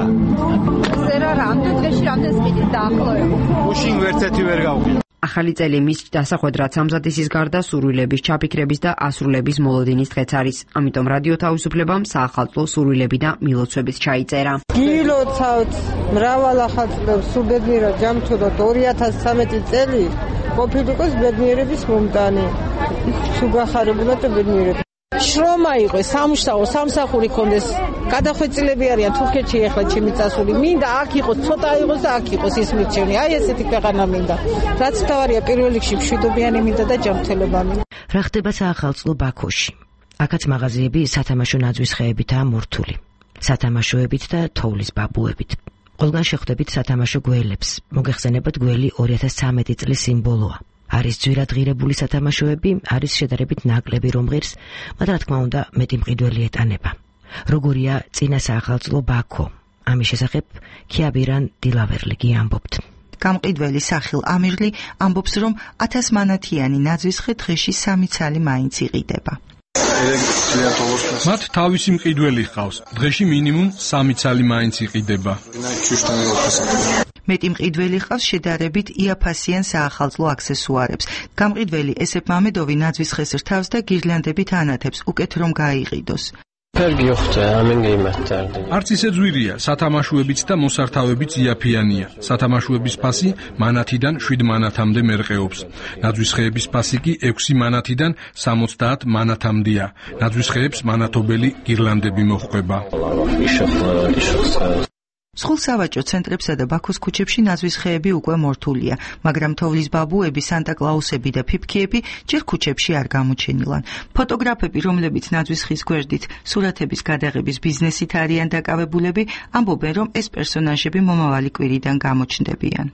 ისე რა, რამდენ დღეში რამდენ სყიდით დაახლოებით? უშინ ვერცეთი ვერ გავყიდ. ახალი წელი მის დასახვედრად სამზადისის გარდა სურვილების ჩაფიქრების და ასრულების მოლოდინის დღეც არის. ამიტომ რადიო თავისუფლებამ საახალწლო სურვილები და მილოცვებიც ჩაიწერა. გილოცავთ მრავალ ახალწლებს სულ ბედნიერად ჯამთოდოთ ორი ათას ცხრამეტი წელი ყოფილიყოს ბედნიერების მომტანი. სულ გახარებულად და ბედნიერად. შრომა იყოს, სამუშაო, სამსახური კონდეს. გადახვეწილები არიან თურქეთში ახლა ჩემი წასული. მინდა აქ იყოს, ცოტა იყოს და აქ იყოს ის მირჩენი. აი ესეთი ქვეყანა მინდა. რაც თავარია პირველ რიგში მშვიდობიანი მინდა და ჯანმრთელობა მინდა. რა ხდება საახალწლო ბაქოში? აქაც მაღაზიები სათამაშო ნაძვის ხეებითაა მორთული. სათამაშოებით და თოვლის ბაბუებით. ყველგან შეხვდებით სათამაშო გველებს. მოგეხსენებათ გველი ორი ათას ცხრამეტი წლის სიმბოლოა. არის ძვირადღირებული სათამაშოები, არის შედარებით ნაკლები რომ ღირს, მაგრამ რა თქმა უნდა მეტი მყიდველი ეტანება. როგორია წინა საახალწლო ბაქო? ამის შესახებ ქიაბირან დილავერლიგი ამბობთ. გამყიდველი სახილ ამირლი ამბობს, რომ ათას მანათიანი ნაძვის ხე დღეში სამი ცალი მაინც იყიდება. მათ თავისი მყიდველი ჰყავს. დღეში მინიმუმ სამი ცალი მაინც იყიდება. მეტი მყიდველი ჰყავს შედარებით იაფასიან საახალწლო აქსესუარებს. გამყიდველი ესეფ მამედოვი ნაძვის ხეს რთავს და გირლანდებით ანათებს, უკეთ რომ გაიყიდოს. არც ისე ძვირია, სათამაშოებიც და მოსართავებიც იაფიანია. სათამაშოების ფასი მანათიდან შვიდ მანათამდე მერყეობს. ნაძვის ხეების ფასი კი ექვსი მანათიდან სამოცდაათ მანათამდეა. ნაძვის ხეებს მანათობელი გირლანდები მოჰყვება. სხულ სავაჭრო ცენტრებსა და ბაქოს ქუჩებში ნაძვის ხეები უკვე მორთულია, მაგრამ თოვლის ბაბუები, სანტა-კლაუსები და ფიფქიები ჯერ ქუჩებში არ გამოჩენილან. ფოტოგრაფები, რომლებიც ნაძვის ხის გვერდით სურათების გადაღების ბიზნესით არიან დაკავებულები, ამბობენ, რომ ეს პერსონაჟები მომავალი კვირიდან გამოჩნდებიან.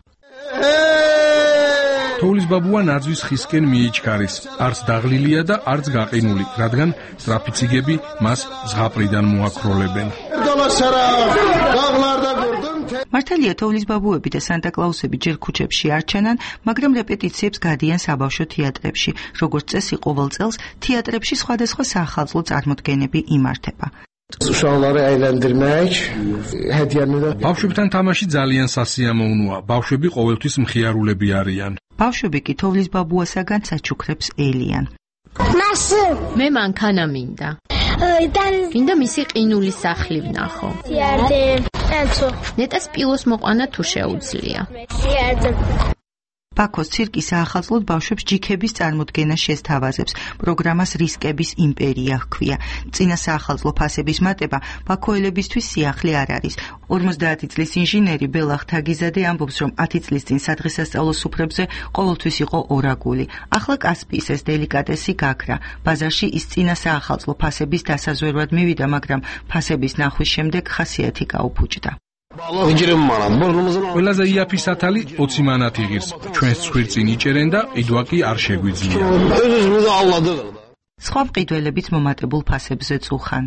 თოვლის ბაბუა ნაძვის ხისკენ მიიჩქარის. არც დაღლილია და არც გაყინული, რადგან ტრაფიციგები მას ზღაპრიდან მოაქროლებენ. მართალია თოვლის ბაბუები და სანტა-კლაუსები ჯერ ქუჩებში არ ჩანან, მაგრამ რეპეტიციებს გადიან საბავშვო თეატრებში. როგორც წესი ყოველ წელს თეატრებში სხვადასხვა საახალწლო წარმოდგენები იმართება. ბავშვებთან თამაში ძალიან სასიამოვნოა. ბავშვები ყოველთვის მხიარულები არიან. ბავშვები კი თოვლის ბაბუასაგან საჩუქრებს ელიან. მე მანქანა მინდა. მინდა მისი ყინული სახლი ვნახო. ნეტას პილოს მოყვანა თუ შეუძლია. ბაქოს ცირკი საახალწლოდ ბავშვებს ჯიქების წარმოდგენა შესთავაზებს. პროგრამას რისკების იმპერია ჰქვია. წინა საახალწლო ფასების მატება ბაქოელებისთვის სიახლე არ არის. ორმოცდაათი წლის ინჟინერი ბელა ხთაგიზადე ამბობს, რომ ათი წლის წინ სადღესასწაულო სუფრებზე ყოველთვის იყო ორაგული. ახლა კასპიის ეს დელიკატესი გაქრა. ბაზარში ის წინა საახალწლო ფასების დასაზვერვად მივიდა, მაგრამ ფასების ნახვის შემდეგ ხასიათი გაუფუჭდა. ყველაზე იაფი სათალი ოცი მანათი ღირს. ჩვენს ცხვირწინ იჭერენ და ყიდვა კი არ შეგვიძლია. სხვა მყიდველებიც მომატებულ ფასებზე წუხან.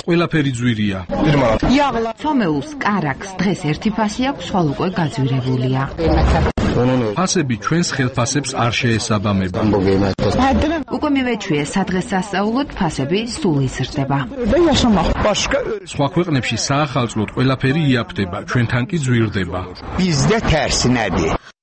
ყველაფერი ძვირია. ცომეულს კარაქს დღეს ერთი ფასი აქვს, ხვალ უკვე გაძვირებულია. ფასები ჩვენს ხელფასებს არ შეესაბამება. უკვე მივეჩვიე სადღესასწაულოდ ფასები სულ იზრდება. სხვა ქვეყნებში საახალწლოდ ყველაფერი იაფდება, ჩვენთან კი ძვირდება.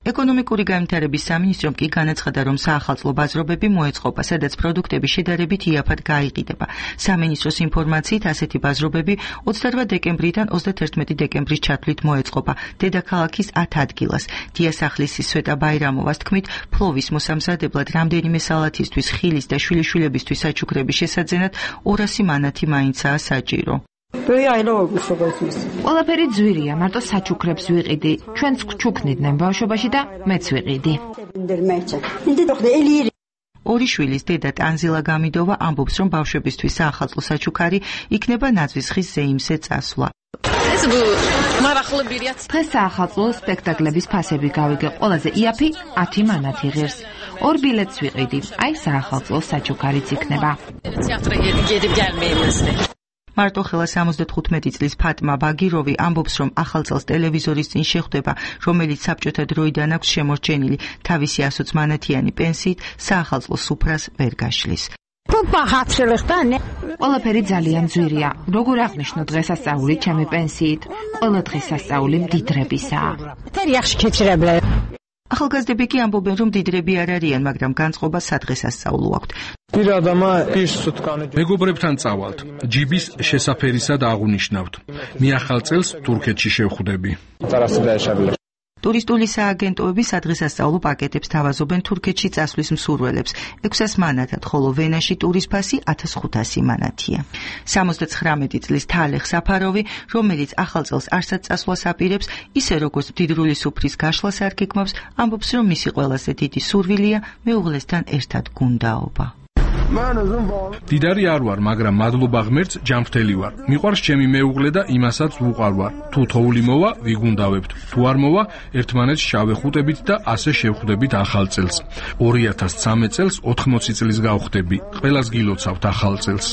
ეკონომიკური განვითარების სამინისტრომ კი განაცხადა, რომ საახალწლო ბაზრობები მოეწყობა, სადაც პროდუქტები შედარებით იაფად გაიყიდება. სამინისტროს ინფორმაციით ასეთი ბაზრობები ოცდარვა დეკემბრიდან ოცდათერთმეტი დეკემბრის ჩათვლით მოეწყობა დედაქალაქის ათ ადგილას. დიასახლისის სვეტა ბაირამოვას თქმით, ფლოვის მოსამზადებლად რამდენიმე სალათისთვის, ხილის და შვილიშვილებისთვის საჩუქრების შესაძენად ორასი მანათი მაინცაა საჭირო. ყველაფერი ძვირია, მარტო საჩუქრებს ვიყიდი. ჩვენც ჩუქნიდნენ ბავშვობაში და მეც ვიყიდი. ორი შვილის დედა ტანზილა გამიდოვა ამბობს, რომ ბავშვებისთვის საახალწლო საჩუქარი იქნება ნაძვის ხის ზეიმზე წასვლა. დღეს საახალწლო სპექტაკლების ფასები გავიგე. ყველაზე იაფი ათი მანათი ღირს. ორ ბილეთს ვიყიდი. აი საახალწლო საჩუქარიც იქნება. მარტოხელა სამოცდათხუთმეტი წლის ფატმა ბაგიროვი ამბობს, რომ ახალ წელს ტელევიზორის წინ შეხვდება, რომელიც საბჭოთა დროიდან აქვს შემორჩენილი, თავისი ასოც მანათიანი პენსიით საახალწლო სუფრას ვერ გაშლის. ყველაფერი ძალიან ძვირია. როგორ აღნიშნო დღესასწაული ჩემი პენსიით? ყველა დღესასწაული მდიდრებისაა. ახალგაზრდები კი ამბობენ, რომ მდიდრები არ არიან, მაგრამ განწყობა სადღესასწაულო აქვთ. მეგობრებთან წავალთ. ჯიბის შესაფერისად აღვნიშნავთ. მე ახალ წელს თურქეთში შევხვდები. ტურისტული სააგენტოები სადღესასწაულო პაკეტებს თავაზობენ თურქეთში წასვლის მსურველებს ექვსას მანათად, ხოლო ვენაში ტურის ფასი ათას ხუთასი მანათია. სამოცდაცხრამეტი წლის თალეხ საფაროვი, რომელიც ახალ წელს არსად წასვლას აპირებს, ისე როგორც მდიდრული სუფრის გაშლას არ გეგმავს, ამბობს, რომ მისი ყველაზე დიდი სურვილია მეუღლესთან ერთად გუნდაობა. დიდარი არ ვარ, მაგრამ მადლობა ღმერთს ჯანმრთელი ვარ. მიყვარს ჩემი მეუღლე და იმასაც ვუყარ ვარ. თუ თოვლი მოვა, ვიგუნდავებთ. თუ არ მოვა, ერთმანეთს შავეხუტებით და ასე შევხვდებით ახალ წელს. ორი ათას სამი წელს ოთხმოცი წლის გავხდები. ყველას გილოცავთ ახალ წელს.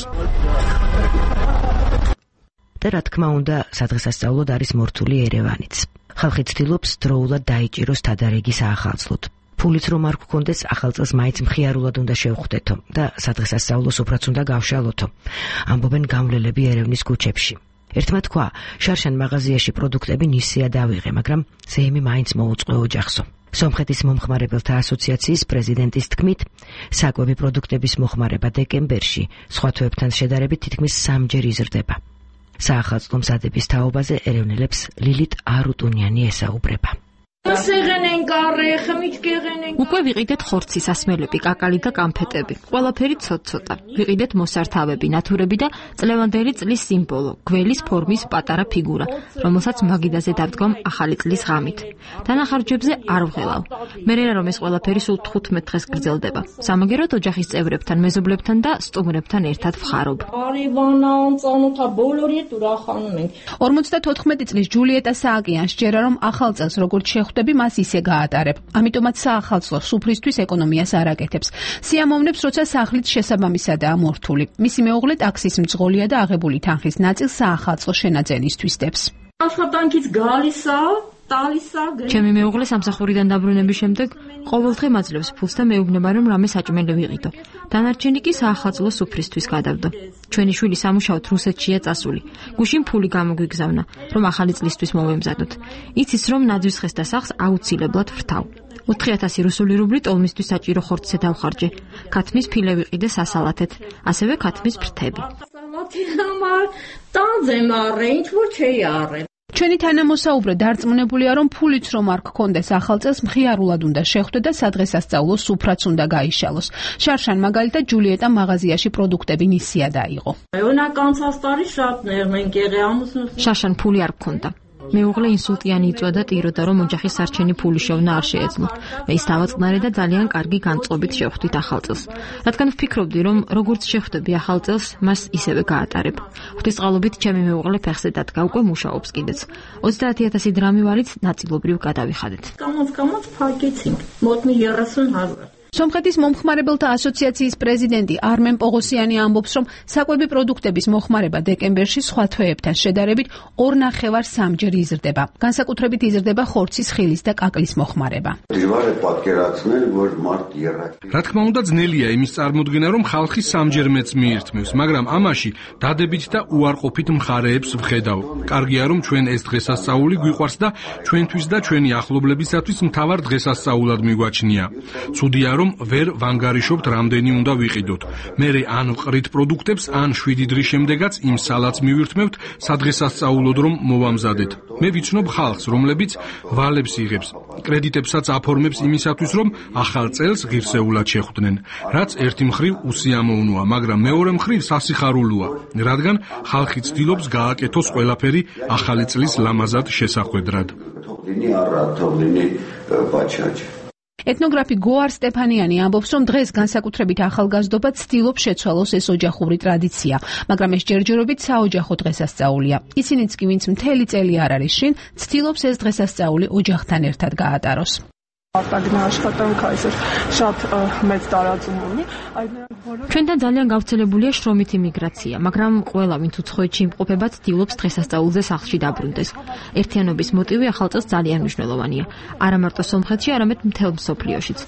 და რა თქმა უნდა, სადღესასწაულოდ არის მორთული ერევანიც. ხალხი ცდილობს დროულად დაიჭიროს თადარიგი საახალწლოდ. ფულით რომ არ გქონდეს, ახალ წელს მაინც მხიარულად უნდა შევხვდეთო და სადღესასწაულო სუფრაც უნდა გავშალოთო. ამბობენ გამვლელები ერევნის ქუჩებში. ერთმა თქვა, შარშან მაღაზიაში პროდუქტები ნისია დავიღე, მაგრამ ზეიმი მაინც მოუწყო ოჯახსო. სომხეთის მომხმარებელთა ასოციაციის პრეზიდენტის თქმით, საკვები პროდუქტების მოხმარება დეკემბერში სხვა თვეებთან შედარებით თითქმის სამჯერ იზრდება. საახალწლო მზადების თაობაზე ერევნელებს ლილით არუტუნიანი ესაუბრება. უკვე ვიყიდეთ ხორცის ასმელები, კაკალი და კამფეტები. ყველაფერი ცოტ-ცოტა. ვიყიდეთ მოსართავები, ნათურები და წლევანდელი წლის სიმბოლო, გველის ფორმის პატარა ფიგურა, რომელსაც მაგიდაზე დავდგამ ახალი წლის ღამით. დანახარჯებზე არ ვღელავ. მე რა რომ ეს ყველაფერი სულ თხუთმეტ დღეს გრძელდება. სამაგეროდ ოჯახის წევრებთან, მეზობლებთან და სტუმრებთან ერთად ვხარობ. ორმოცდათოთხმეტი წლის ჯულიეტა სააკიანს ჯერა რომ ახალ წელს როგორც შეხვდები, მას ისე გაატარებ. ამიტომაც საახალწლო სუფრისთვის ეკონომიას არ აკეთებს. სიამოვნებს, როცა სახლით შესაბამისადაა მორთული. მისი მეუღლე ტაქსის მძღოლია და აღებული თანხის ნაწილს საახალწლო შენაძენისთვის დებს. աշխատանքից գալիսაა ჩემი მეუღლე სამსახურიდან დაბრუნების შემდეგ ყოველდღე მაძლევს ფულს და მეუბნება, რომ რამე საჭმელი ვიყიდო. დანარჩენი კი საახალწლო სუფრისთვის გადავდო. ჩვენი შვილი სამუშაოდ რუსეთშია წასული. გუშინ ფული გამოგვიგზავნა, რომ ახალი წლისთვის მოვემზადოთ. იცის, რომ ნაძვის ხეს და სახს აუცილებლად ვრთავ. ოთხი ათასი რუსული რუბლი ტოლმისთვის საჭირო ხორცზე დავხარჯე. ქათმის ფილე ვიყიდე სასალათეთ, ასევე ქათმის ფრთები. ჩვენი თანამოსაუბრე დარწმუნებულია, რომ ფულიც რომ არ გქონდეს ახალ წელს, მხიარულად უნდა შეხვდე და სადღესასწაულო სუფრაც უნდა გაიშალოს. შარშან მაგალითად ჯულიეტა მაღაზიაში პროდუქტები ნისია დაიღო. შარშან ფული არ გქონდა. მეუღლე ინსულტიანი იწვა და ტიროდა, რომ ოჯახის სარჩენი ფული შევნა არ შეეძლო. მე ის დავაწყნარე და ძალიან კარგი განწყობით შევხვდით ახალ წელს. რადგან ვფიქრობდი, რომ როგორც შეხვდები ახალ წელს, მას ისევე გაატარებ. ღვთისწყალობით ჩემი მეუღლე ფეხზე დადგა, უკვე მუშაობს კიდეც. ოცდაათი ათასი დრამი ვალით ნაწილობრივ გადავიხადეთ. სომხეთის მომხმარებელთა ასოციაციის პრეზიდენტი არმენ პოღოსიანი ამბობს, რომ საკვები პროდუქტების მოხმარება დეკემბერში სხვა თვეებთან შედარებით ორ ნახევარ სამჯერ იზრდება. განსაკუთრებით იზრდება ხორცის, ხილის და კაკლის მოხმარება. რა თქმა უნდა, ძნელია იმის წარმოდგენა, რომ ხალხი სამჯერ მეც მიირთმევს, მაგრამ ამაში დადებით და უარყოფით მხარეებს ვხედავ. კარგია, რომ ჩვენ ეს დღესასწაული გვიყვარს და ჩვენთვის და ჩვენი ახლობლებისათვის მთავარ დღესასწაულად მიგვაჩნია. ცუდია, რომ ვერ ვანგარიშობთ რამდენი უნდა ვიყიდოთ. მერე ან ვყრით პროდუქტებს, ან შვიდი დღის შემდეგაც იმ სალათს მივირთმევთ სადღესასწაულოდ რომ მოვამზადეთ. მე ვიცნობ ხალხს, რომლებიც ვალებს იღებს, კრედიტებსაც აფორმებს იმისათვის, რომ ახალ წელს ღირსეულად შეხვდნენ. რაც ერთი მხრივ უსიამოვნოა, მაგრამ მეორე მხრივ სასიხარულოა, რადგან ხალხი ცდილობს გააკეთოს ყველაფერი ახალი წლის ლამაზად შესახვედრად. ეთნოგრაფი გოარ სტეფანიანი ამბობს, რომ დღეს განსაკუთრებით ახალგაზრდობა ცდილობს შეცვალოს ეს ოჯახური ტრადიცია, მაგრამ ეს ჯერჯერობით საოჯახო დღესასწაულია. ისინიც კი, ვინც მთელი წელი არ არის შინ, ცდილობს ეს დღესასწაული ოჯახთან ერთად გაატაროს. արտագնա աշխատանքը այսօր շատ մեծ տարածում ունի. Ჩვენთან ძალიან გავრცელებულია შრომითი მიგრაცია, მაგრამ ყველა ვინც უცხოეთში იმყოფება ცდილობს დღესასწაულზე სახლში დაბრუნდეს. ერთიანობის მოტივი ახალ წელს ძალიან მნიშვნელოვანია. არა მარტო სომხეთში, არამედ მთელ მსოფლიოშიც.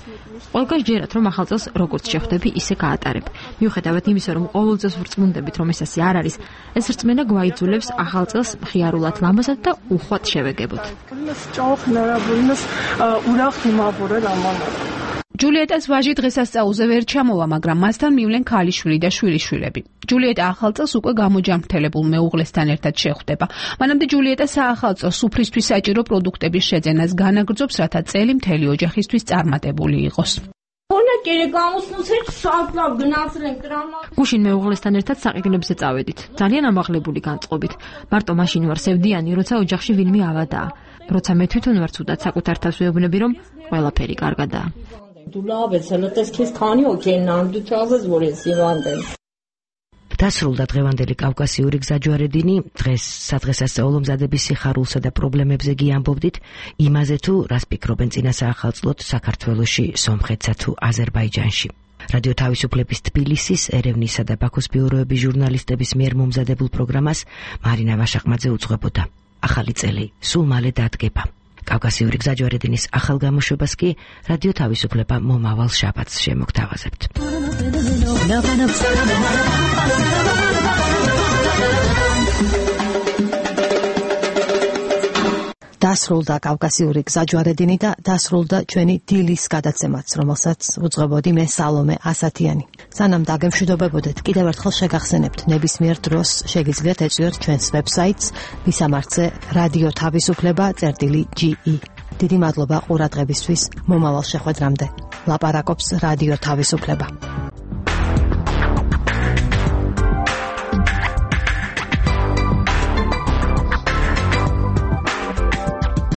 ყველგან ჯერათ რომ ახალ წელს როგორც შეხვდები, ისე გაატარებ. მიუხედავად იმისა, რომ ყოველწელს ვრწმუნდებით, რომ ესასი არ არის, ეს რწმენა გვაიძულებს ახალ წელს მხიარულად ლამაზად და უხვად შევეგებოთ. ჯულიეტას ვაჟი დღესასწაულზე ვერ ჩამოვა, მაგრამ მასთან მივლენ ქალიშვილი და შვილიშვილები. ჯულიეტა ახალ წელს უკვე გამოჯამრთელებულ მეუღლესთან ერთად შეხვდება. მანამდე ჯულიეტა საახალწლო სუფრისთვის საჭირო პროდუქტების შეძენას განაგრძობს, რათა წელი მთელი ოჯახისთვის წარმატებული იყოს. გუშინ მეუღლესთან ერთად საყიდლებზე წავედით. ძალიან ამაღლებული განწყობით. მარტო მაშინ ვარ სევდიანი, როცა ოჯახში ვინმე ავადაა. როცა მე თვითონ ვარ ცუდად საკუთარ თავს ვეუბნები, რომ ყველაფერი კარგადაა. დასრულდა დღევანდელი კავკასიური გზაჯვარედინი. დღეს სადღესასწაულო მზადების სიხარულსა და პრობლემებზე გიამბობდით, იმაზე თუ რას ფიქრობენ წინა საახალწლოდ საქართველოში, სომხეთსა თუ აზერბაიჯანში. რადიო თავისუფლების თბილისის, ერევნისა და ბაქოს ბიუროების ჟურნალისტების მიერ მომზადებულ პროგრამას მარინა ვაშაყმაძე უძღვებოდა. ახალი წელი სულ მალე დადგება. კავკასიური გზაჯვარედინის ახალ გამოშვებას კი რადიო თავისუფლება მომავალ შაბათს შემოგთავაზებთ. დასრულდა კავკასიური გზაჯვარედინი და დასრულდა ჩვენი დილის გადაცემაც, რომელსაც უძღვებოდი მე სალომე ასათიანი. სანამ დაგემშვიდობებოდეთ, კიდევ ერთხელ შეგახსენებთ, ნებისმიერ დროს შეგიძლიათ ეწვიოთ ჩვენს ვებსაიტს ვისამართზე რადიო თავისუფლება წერტილი ჯი ი. დიდი მადლობა ყურადღებისთვის, მომავალ შეხვედრამდე. ლაპარაკობს რადიო თავისუფლება.